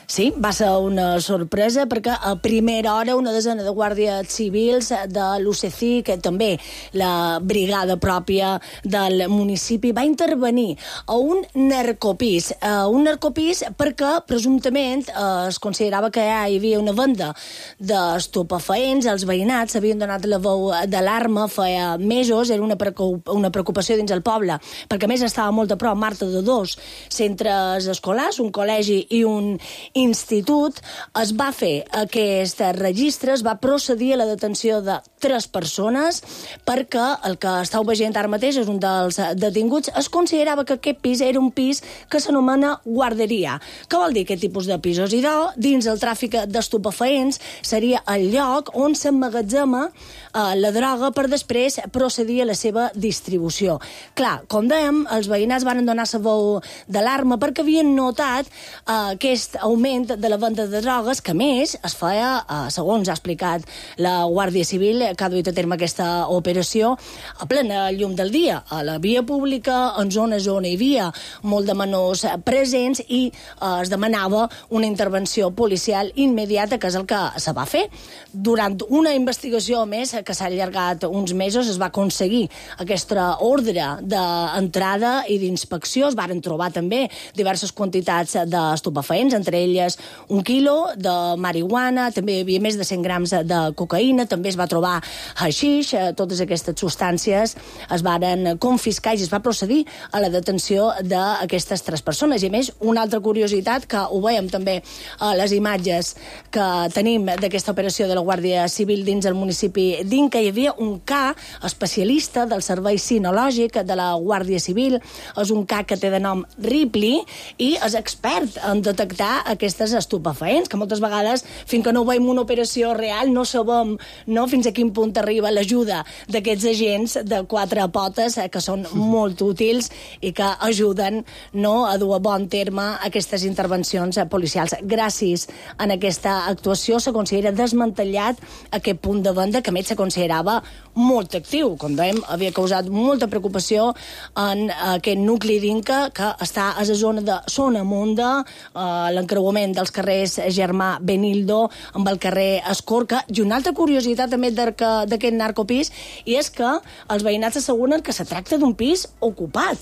Sí, va ser una sorpresa perquè a primera hora una desena de guàrdies civils de l'U C C I, que també la brigada pròpia del municipi, va intervenir a un narcopís. A un narcopís perquè presumptament eh, es considerava que hi havia una venda d'estupefaents. Els veïnats havien donat la veu d'alarma feia mesos, era una preocupació dins el poble, perquè a més estava molt a prop, Marta, de dos centres escolars, un col·legi i un institut. Es va fer aquest registre, es va procedir a la detenció de tres persones perquè el que estàu veient ara mateix és un dels detinguts. Es considerava que aquest pis era un pis que s'anomena guarderia. Què vol dir aquest tipus de pisos? I doncs, dins el tràfic d'estupefaents seria el lloc on s'emmagatzema eh, la droga per després procedir a la seva distribució. Clar, com dèiem, els veïnats van donar la veu d'alarma perquè havien notat eh, aquest augment de la venda de drogues, que més es feia, eh, segons ha explicat la Guàrdia Civil, que ha duit a terme aquesta operació, a plena llum del dia, a la via pública, en zones on hi havia molt de menors presents, i eh, es demanava una intervenció policial immediata, que és el que se va fer. Durant una investigació més, que s'ha allargat uns mesos, es va aconseguir aquesta ordre d'entrada i d'inspecció. Es varen trobar també diverses quantitats d'estupefaents, entre elles un quilo de marihuana, també hi havia més de cent grams de cocaïna, també es va trobar haixix. Totes aquestes substàncies es varen confiscar i es va procedir a la detenció d'aquestes tres persones. I a més, una altra curiositat, que ho veiem també a les imatges que tenim d'aquesta operació de la Guàrdia Civil dins el municipi d'Inca, hi havia un C A especialista del servei cinològic de la Guàrdia Civil. És un C A que té de nom Ripley i és expert en detectar aquestes estupefaents, que moltes vegades, fins que no veiem una operació real, no sabem no, fins a quin punt arriba l'ajuda d'aquests agents de quatre potes, eh, que són molt útils i que ajuden no, a dur a bon terme aquestes intervencions eh, policials. Gràcies a aquesta actuació se considera desmantellat aquest punt de venda, que a més se considerava molt actiu. Com dèiem, havia causat molta preocupació en aquest nucli d'Inca, que està a la zona de Sonamunda, eh, l'encreuament dels carrers Germà Benildo amb el carrer Escorca. I una altra curiositat també d'aquest narcopís, i és que els veïnats asseguren que se tracta d'un pis ocupat.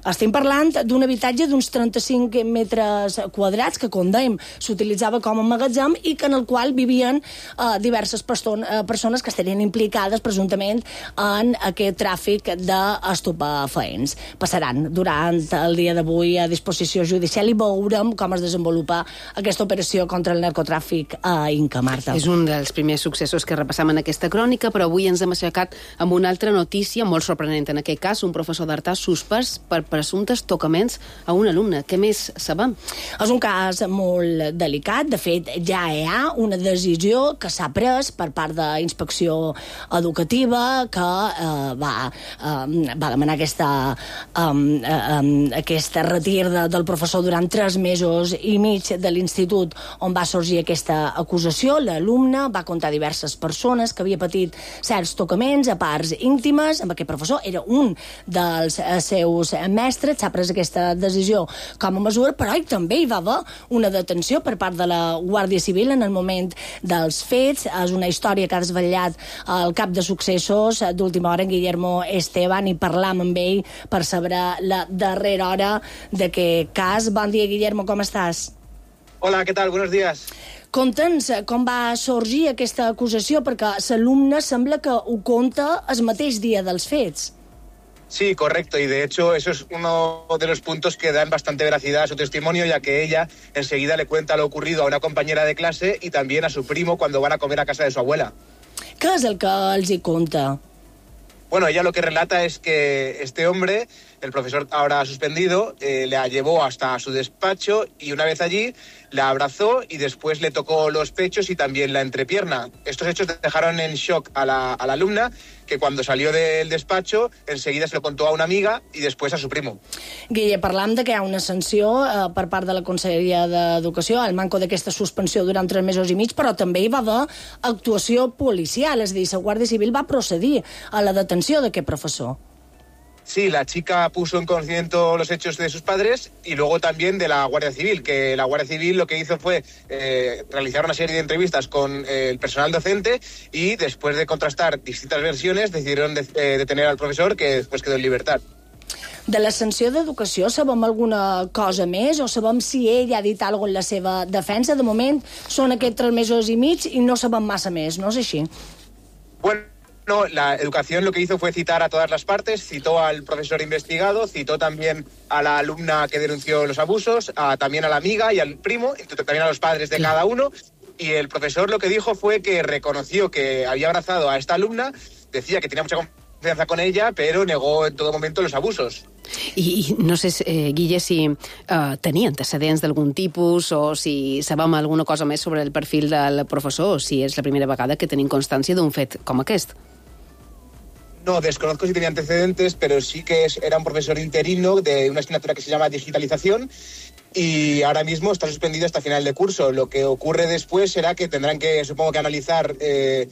Estem parlant d'un habitatge d'uns trenta-cinc metres quadrats que, com dèiem, s'utilitzava com a magatzem i que en el qual vivien eh, diverses persones que estarien implicades presumptament en aquest tràfic d'estupefaents. Passaran durant el dia d'avui a disposició judicial i veurem com es desenvolupa aquesta operació contra el narcotràfic a Inca, Marta. És un dels primers successos que repassam en aquesta crònica, però avui ens hem aixecat amb una altra notícia molt sorprenent. En aquest cas, un professor d'Artà suspès per presumptes tocaments a un alumne. Què més sabem? És un cas molt delicat. De fet, ja hi ha una decisió que s'ha pres per part d'Inspecció Educativa que eh, va, eh, va demanar aquesta, eh, eh, aquesta retir de, del professor durant tres mesos i mig de l'institut on va sorgir aquesta acusació. L'alumne va contar diverses persones que havia patit certs tocaments a parts íntimes amb aquest professor. Era un dels seus mestres. S'ha pres aquesta decisió com a mesura, però també hi va haver una detenció per part de la Guàrdia Civil en el moment dels fets. És una història que ha desvetllat el cap de successos d'última hora, en Guillermo Esteban, i parlam amb ell per saber la darrera hora d'aquest cas. Bon dia, Guillermo, com estàs? Hola, ¿qué tal? Buenos días. Conta'ns com va sorgir aquesta acusació, perquè l'alumne sembla que ho conta el mateix dia dels fets. Sí, correcto, y de hecho eso es uno de los puntos que dan bastante veracidad a su testimonio, ya que ella enseguida le cuenta lo ocurrido a una compañera de clase y también a su primo cuando van a comer a casa de su abuela. Què és el que els hi conta? Bueno, ella lo que relata es que este hombre, el profesor ahora suspendido, eh, la llevó hasta su despacho y una vez allí la abrazó y después le tocó los pechos y también la entrepierna. Estos hechos dejaron en shock a la, a la alumna, que cuando salió del despacho enseguida se lo contó a una amiga i després a su primo. Guille, parlam de que hi ha una sanció eh, per part de la Conselleria d'Educació al manco d'aquesta suspensió durant tres mesos i mig, però també hi va haver actuació policial, és a dir, la Guàrdia Civil va procedir a la detenció d'aquest professor. Sí, la chica puso en conocimiento los hechos de sus padres y luego también de la Guardia Civil, que la Guardia Civil lo que hizo fue eh, realizar una serie de entrevistas con eh, el personal docente y después de contrastar distintas versiones decidieron de, eh, detener al profesor, que después quedó en libertad. De la sanció d'educació sabem alguna cosa més o sabem si ell ha dit alguna cosa en la seva defensa? De moment són aquests tres mesos i mig i no sabem massa més, no és així? Bueno, No, la educación lo que hizo fue citar a todas las partes, citó al profesor investigado, citó también a la alumna que denunció los abusos, a, también a la amiga y al primo, y también a los padres de cada uno, y el profesor lo que dijo fue que reconoció que había abrazado a esta alumna, decía que tenía mucha confianza con ella, pero negó en todo momento los abusos. I, i no sé, eh, Guille, si eh, tenia antecedents d'algun tipus o si sabem alguna cosa més sobre el perfil del professor o si és la primera vegada que tenim constància d'un fet com aquest. No, desconozco si tenía antecedentes, pero sí que es, era un profesor interino de una asignatura que se llama digitalización y ahora mismo está suspendido hasta final de curso. Lo que ocurre después será que tendrán que, supongo que analizar eh,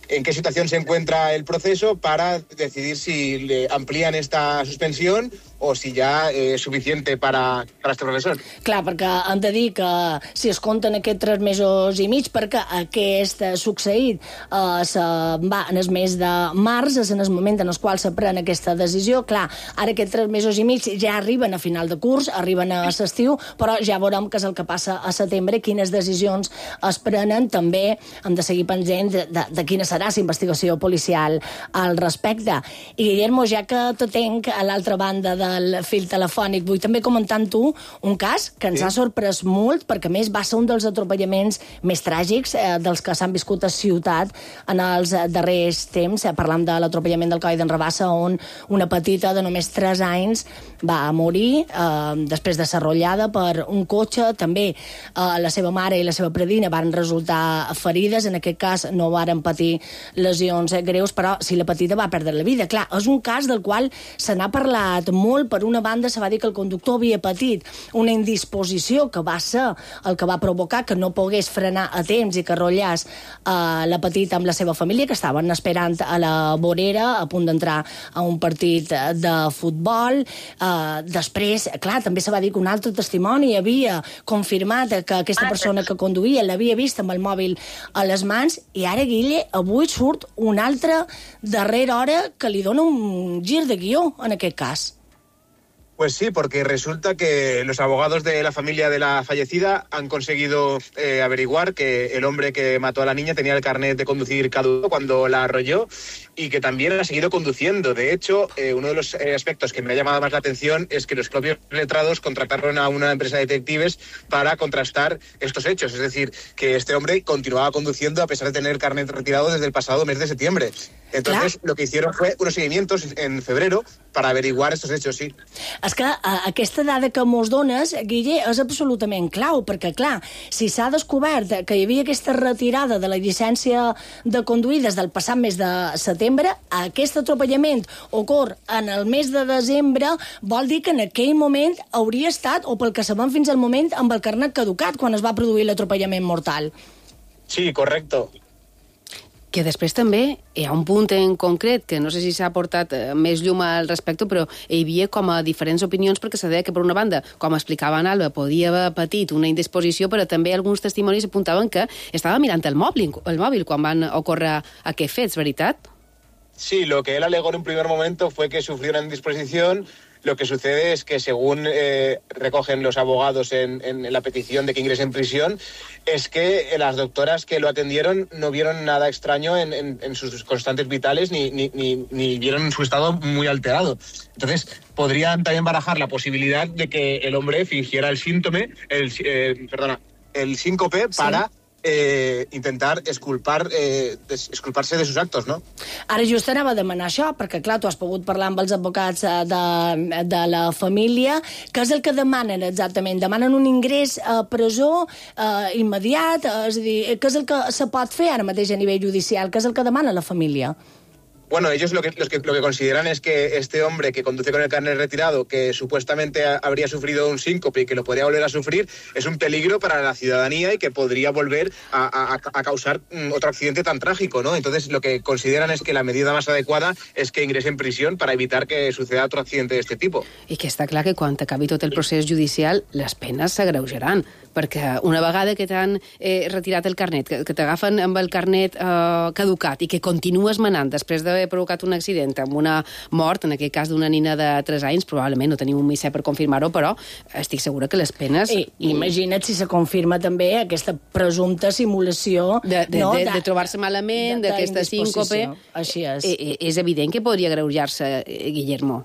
en qué situación se encuentra el proceso para decidir si le amplían esta suspensión o si ja és suficient per a, per a este professor. Clar, perquè hem de dir que si es compten aquests tres mesos i mig, perquè aquest succeït eh, se va en el mes de març, és en el moment en el qual se pren aquesta decisió. Clar, ara aquests tres mesos i mig ja arriben a final de curs, arriben a l'estiu, però ja veurem què és el que passa a setembre, quines decisions es prenen. També hem de seguir pendent de, de, de quina serà la investigació policial al respecte. I, Guillermo, ja que te tenc a l'altra banda de del fil telefònic, vull també comentar amb tu un cas que ens sí. ha sorprès molt, perquè a més va ser un dels atropellaments més tràgics eh, dels que s'han viscut a Ciutat en els darrers temps. Eh, parlam de l'atropellament del coll d'en Rabassa, on una petita de només tres anys va morir eh, després de ser arrollada per un cotxe. També eh, la seva mare i la seva predina van resultar ferides. En aquest cas no varen patir lesions greus, però si la petita va perdre la vida. Clar, és un cas del qual se n'ha parlat molt. Per una banda, se va dir que el conductor havia patit una indisposició que va ser el que va provocar que no pogués frenar a temps i que arrollàs eh, la petita amb la seva família, que estaven esperant a la vorera, a punt d'entrar a un partit de futbol. Eh, després, clar, també se va dir que un altre testimoni havia confirmat que aquesta persona que conduïa l'havia vist amb el mòbil a les mans, i ara, Guille, avui surt una altra darrera hora que li dona un gir de guió en aquest cas. Pues sí, porque resulta que los abogados de la familia de la fallecida han conseguido eh, averiguar que el hombre que mató a la niña tenía el carnet de conducir caduco cuando la arrolló y que también ha seguido conduciendo. De hecho, eh, uno de los eh, aspectos que me ha llamado más la atención es que los propios letrados contrataron a una empresa de detectives para contrastar estos hechos. Es decir, que este hombre continuaba conduciendo a pesar de tener el carnet retirado desde el pasado mes de septiembre. Entonces, claro, lo que hicieron fue unos seguimientos en febrero para averiguar estos hechos, sí. És que a, aquesta dada que mos dones, Guille, és absolutament clau, perquè, clar, si s'ha descobert que hi havia aquesta retirada de la llicència de conduir des del passat mes de setembre, aquest atropellament ocorre en el mes de desembre, vol dir que en aquell moment hauria estat, o pel que sabem fins al moment, amb el carnet caducat quan es va produir l'atropellament mortal. Sí, correcto. Que després també hi ha un punt en concret que no sé si s'ha portat més llum al respecte, però hi havia com a diferents opinions, perquè se deia que, per una banda, com explicava en Alba, podia haver patit una indisposició, però també alguns testimonis apuntaven que estava mirant el mòbil, el mòbil quan van ocórrer aquests fets, veritat? Sí, lo que él alegó en un primer momento fue que sufrió una indisposición. Lo que sucede es que, según eh, recogen los abogados en, en, en la petición de que ingrese en prisión, es que las doctoras que lo atendieron no vieron nada extraño en, en, en sus constantes vitales ni, ni, ni, ni vieron su estado muy alterado. Entonces, podrían también barajar la posibilidad de que el hombre fingiera el síntome, el, eh, perdona, el síncope para... Sí. eh, intentar esculpar, eh, des, esculparse de sus actos, no? Ara just anava a demanar això, perquè clar, tu has pogut parlar amb els advocats de, de la família. Què és el que demanen exactament? Demanen un ingrés a presó eh, immediat? És a dir, què és el que se pot fer ara mateix a nivell judicial? Què és el que demana la família? Bueno, ellos lo que, los que, lo que consideran es que este hombre que conduce con el carnet retirado, que supuestamente ha, habría sufrido un síncope y que lo podría volver a sufrir, es un peligro para la ciudadanía y que podría volver a, a, a causar um, otro accidente tan trágico, ¿no? Entonces, lo que consideran es que la medida más adecuada es que ingrese en prisión para evitar que suceda otro accidente de este tipo. I que està clar que quan acabi tot el procés judicial, les penes s'agreujaran, perquè una vegada que t'han eh, retirat el carnet, que, que t'agafen amb el carnet eh, caducat i que continues manant després d'haver provocat un accident amb una mort, en aquest cas d'una nina de tres anys, probablement no tenim un missatge per confirmar-ho, però estic segura que les penes... I, imagina't si se confirma també aquesta presumpta simulació... De, de, no? de, de, de trobar-se malament, d'aquesta síncope... Així és. Eh, és evident que podria agreujar-se, Guillermo.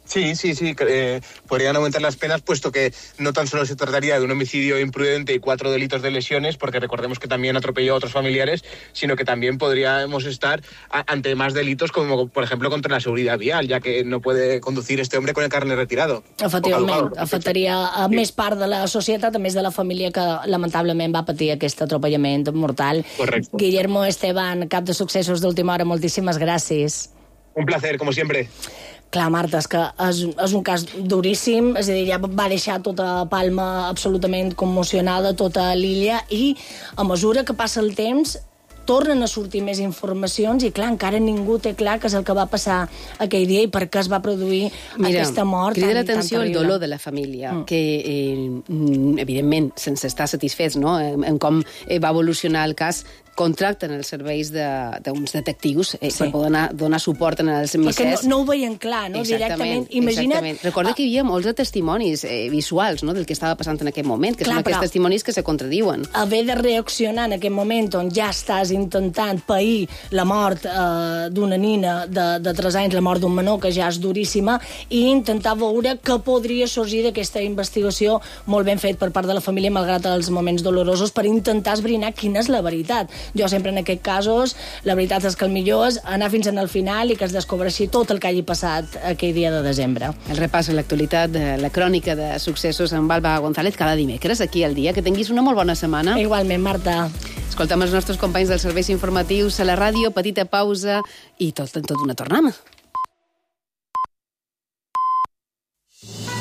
Sí, sí, sí, eh, podrían aumentar las penas, puesto que no tan solo se trataría de un homicidio imprudente y cuatro delitos de lesiones, porque recordemos que también atropelló a otros familiares, sino que también podríamos estar a, ante más delitos, como por ejemplo contra la seguridad vial, ya que no puede conducir este hombre con el carnet retirado. Efectivament, afectaria a més part de la societat, a més de la família que lamentablement va patir aquest atropellament mortal. Correcto. Guillermo Esteban, cap de successos d'última hora, moltíssimes gràcies. Un placer, como siempre. Clar, Marta, és que és, és un cas duríssim, és a dir, ja va deixar tota Palma absolutament commocionada, tota l'illa, i a mesura que passa el temps tornen a sortir més informacions i, clar, encara ningú té clar què és el que va passar aquell dia i per què es va produir Mira, aquesta mort tan, crida tan l'atenció el terrible. dolor de la família, mm. que, eh, evidentment, sense estar satisfets, no?, en, en com eh, va evolucionar el cas, contracten els serveis d'uns de, detectius eh, sí. per poder donar, donar suport en els missers. Perquè no, no ho veien clar, no? Exactament, Directament. Imagina't... exactament. Recorda que hi havia molts de testimonis eh, visuals, no?, del que estava passant en aquest moment, que clar, són aquests però... testimonis que se contradiuen. Haver de reaccionar en aquest moment on ja estàs intentant pair la mort eh, d'una nina de, de tres anys, la mort d'un menor, que ja és duríssima, i intentar veure què podria sorgir d'aquesta investigació molt ben fet per part de la família, malgrat els moments dolorosos, per intentar esbrinar quina és la veritat. Jo sempre en aquests casos, la veritat és que el millor és anar fins al final i que es descobreixi tot el que hagi passat aquell dia de desembre. El repàs a l'actualitat de la crònica de successos amb Alba González cada dimecres aquí al dia. Que tinguis una molt bona setmana. Igualment, Marta. Escoltem els nostres companys dels serveis informatius a la ràdio, petita pausa i tot, tot una tornada.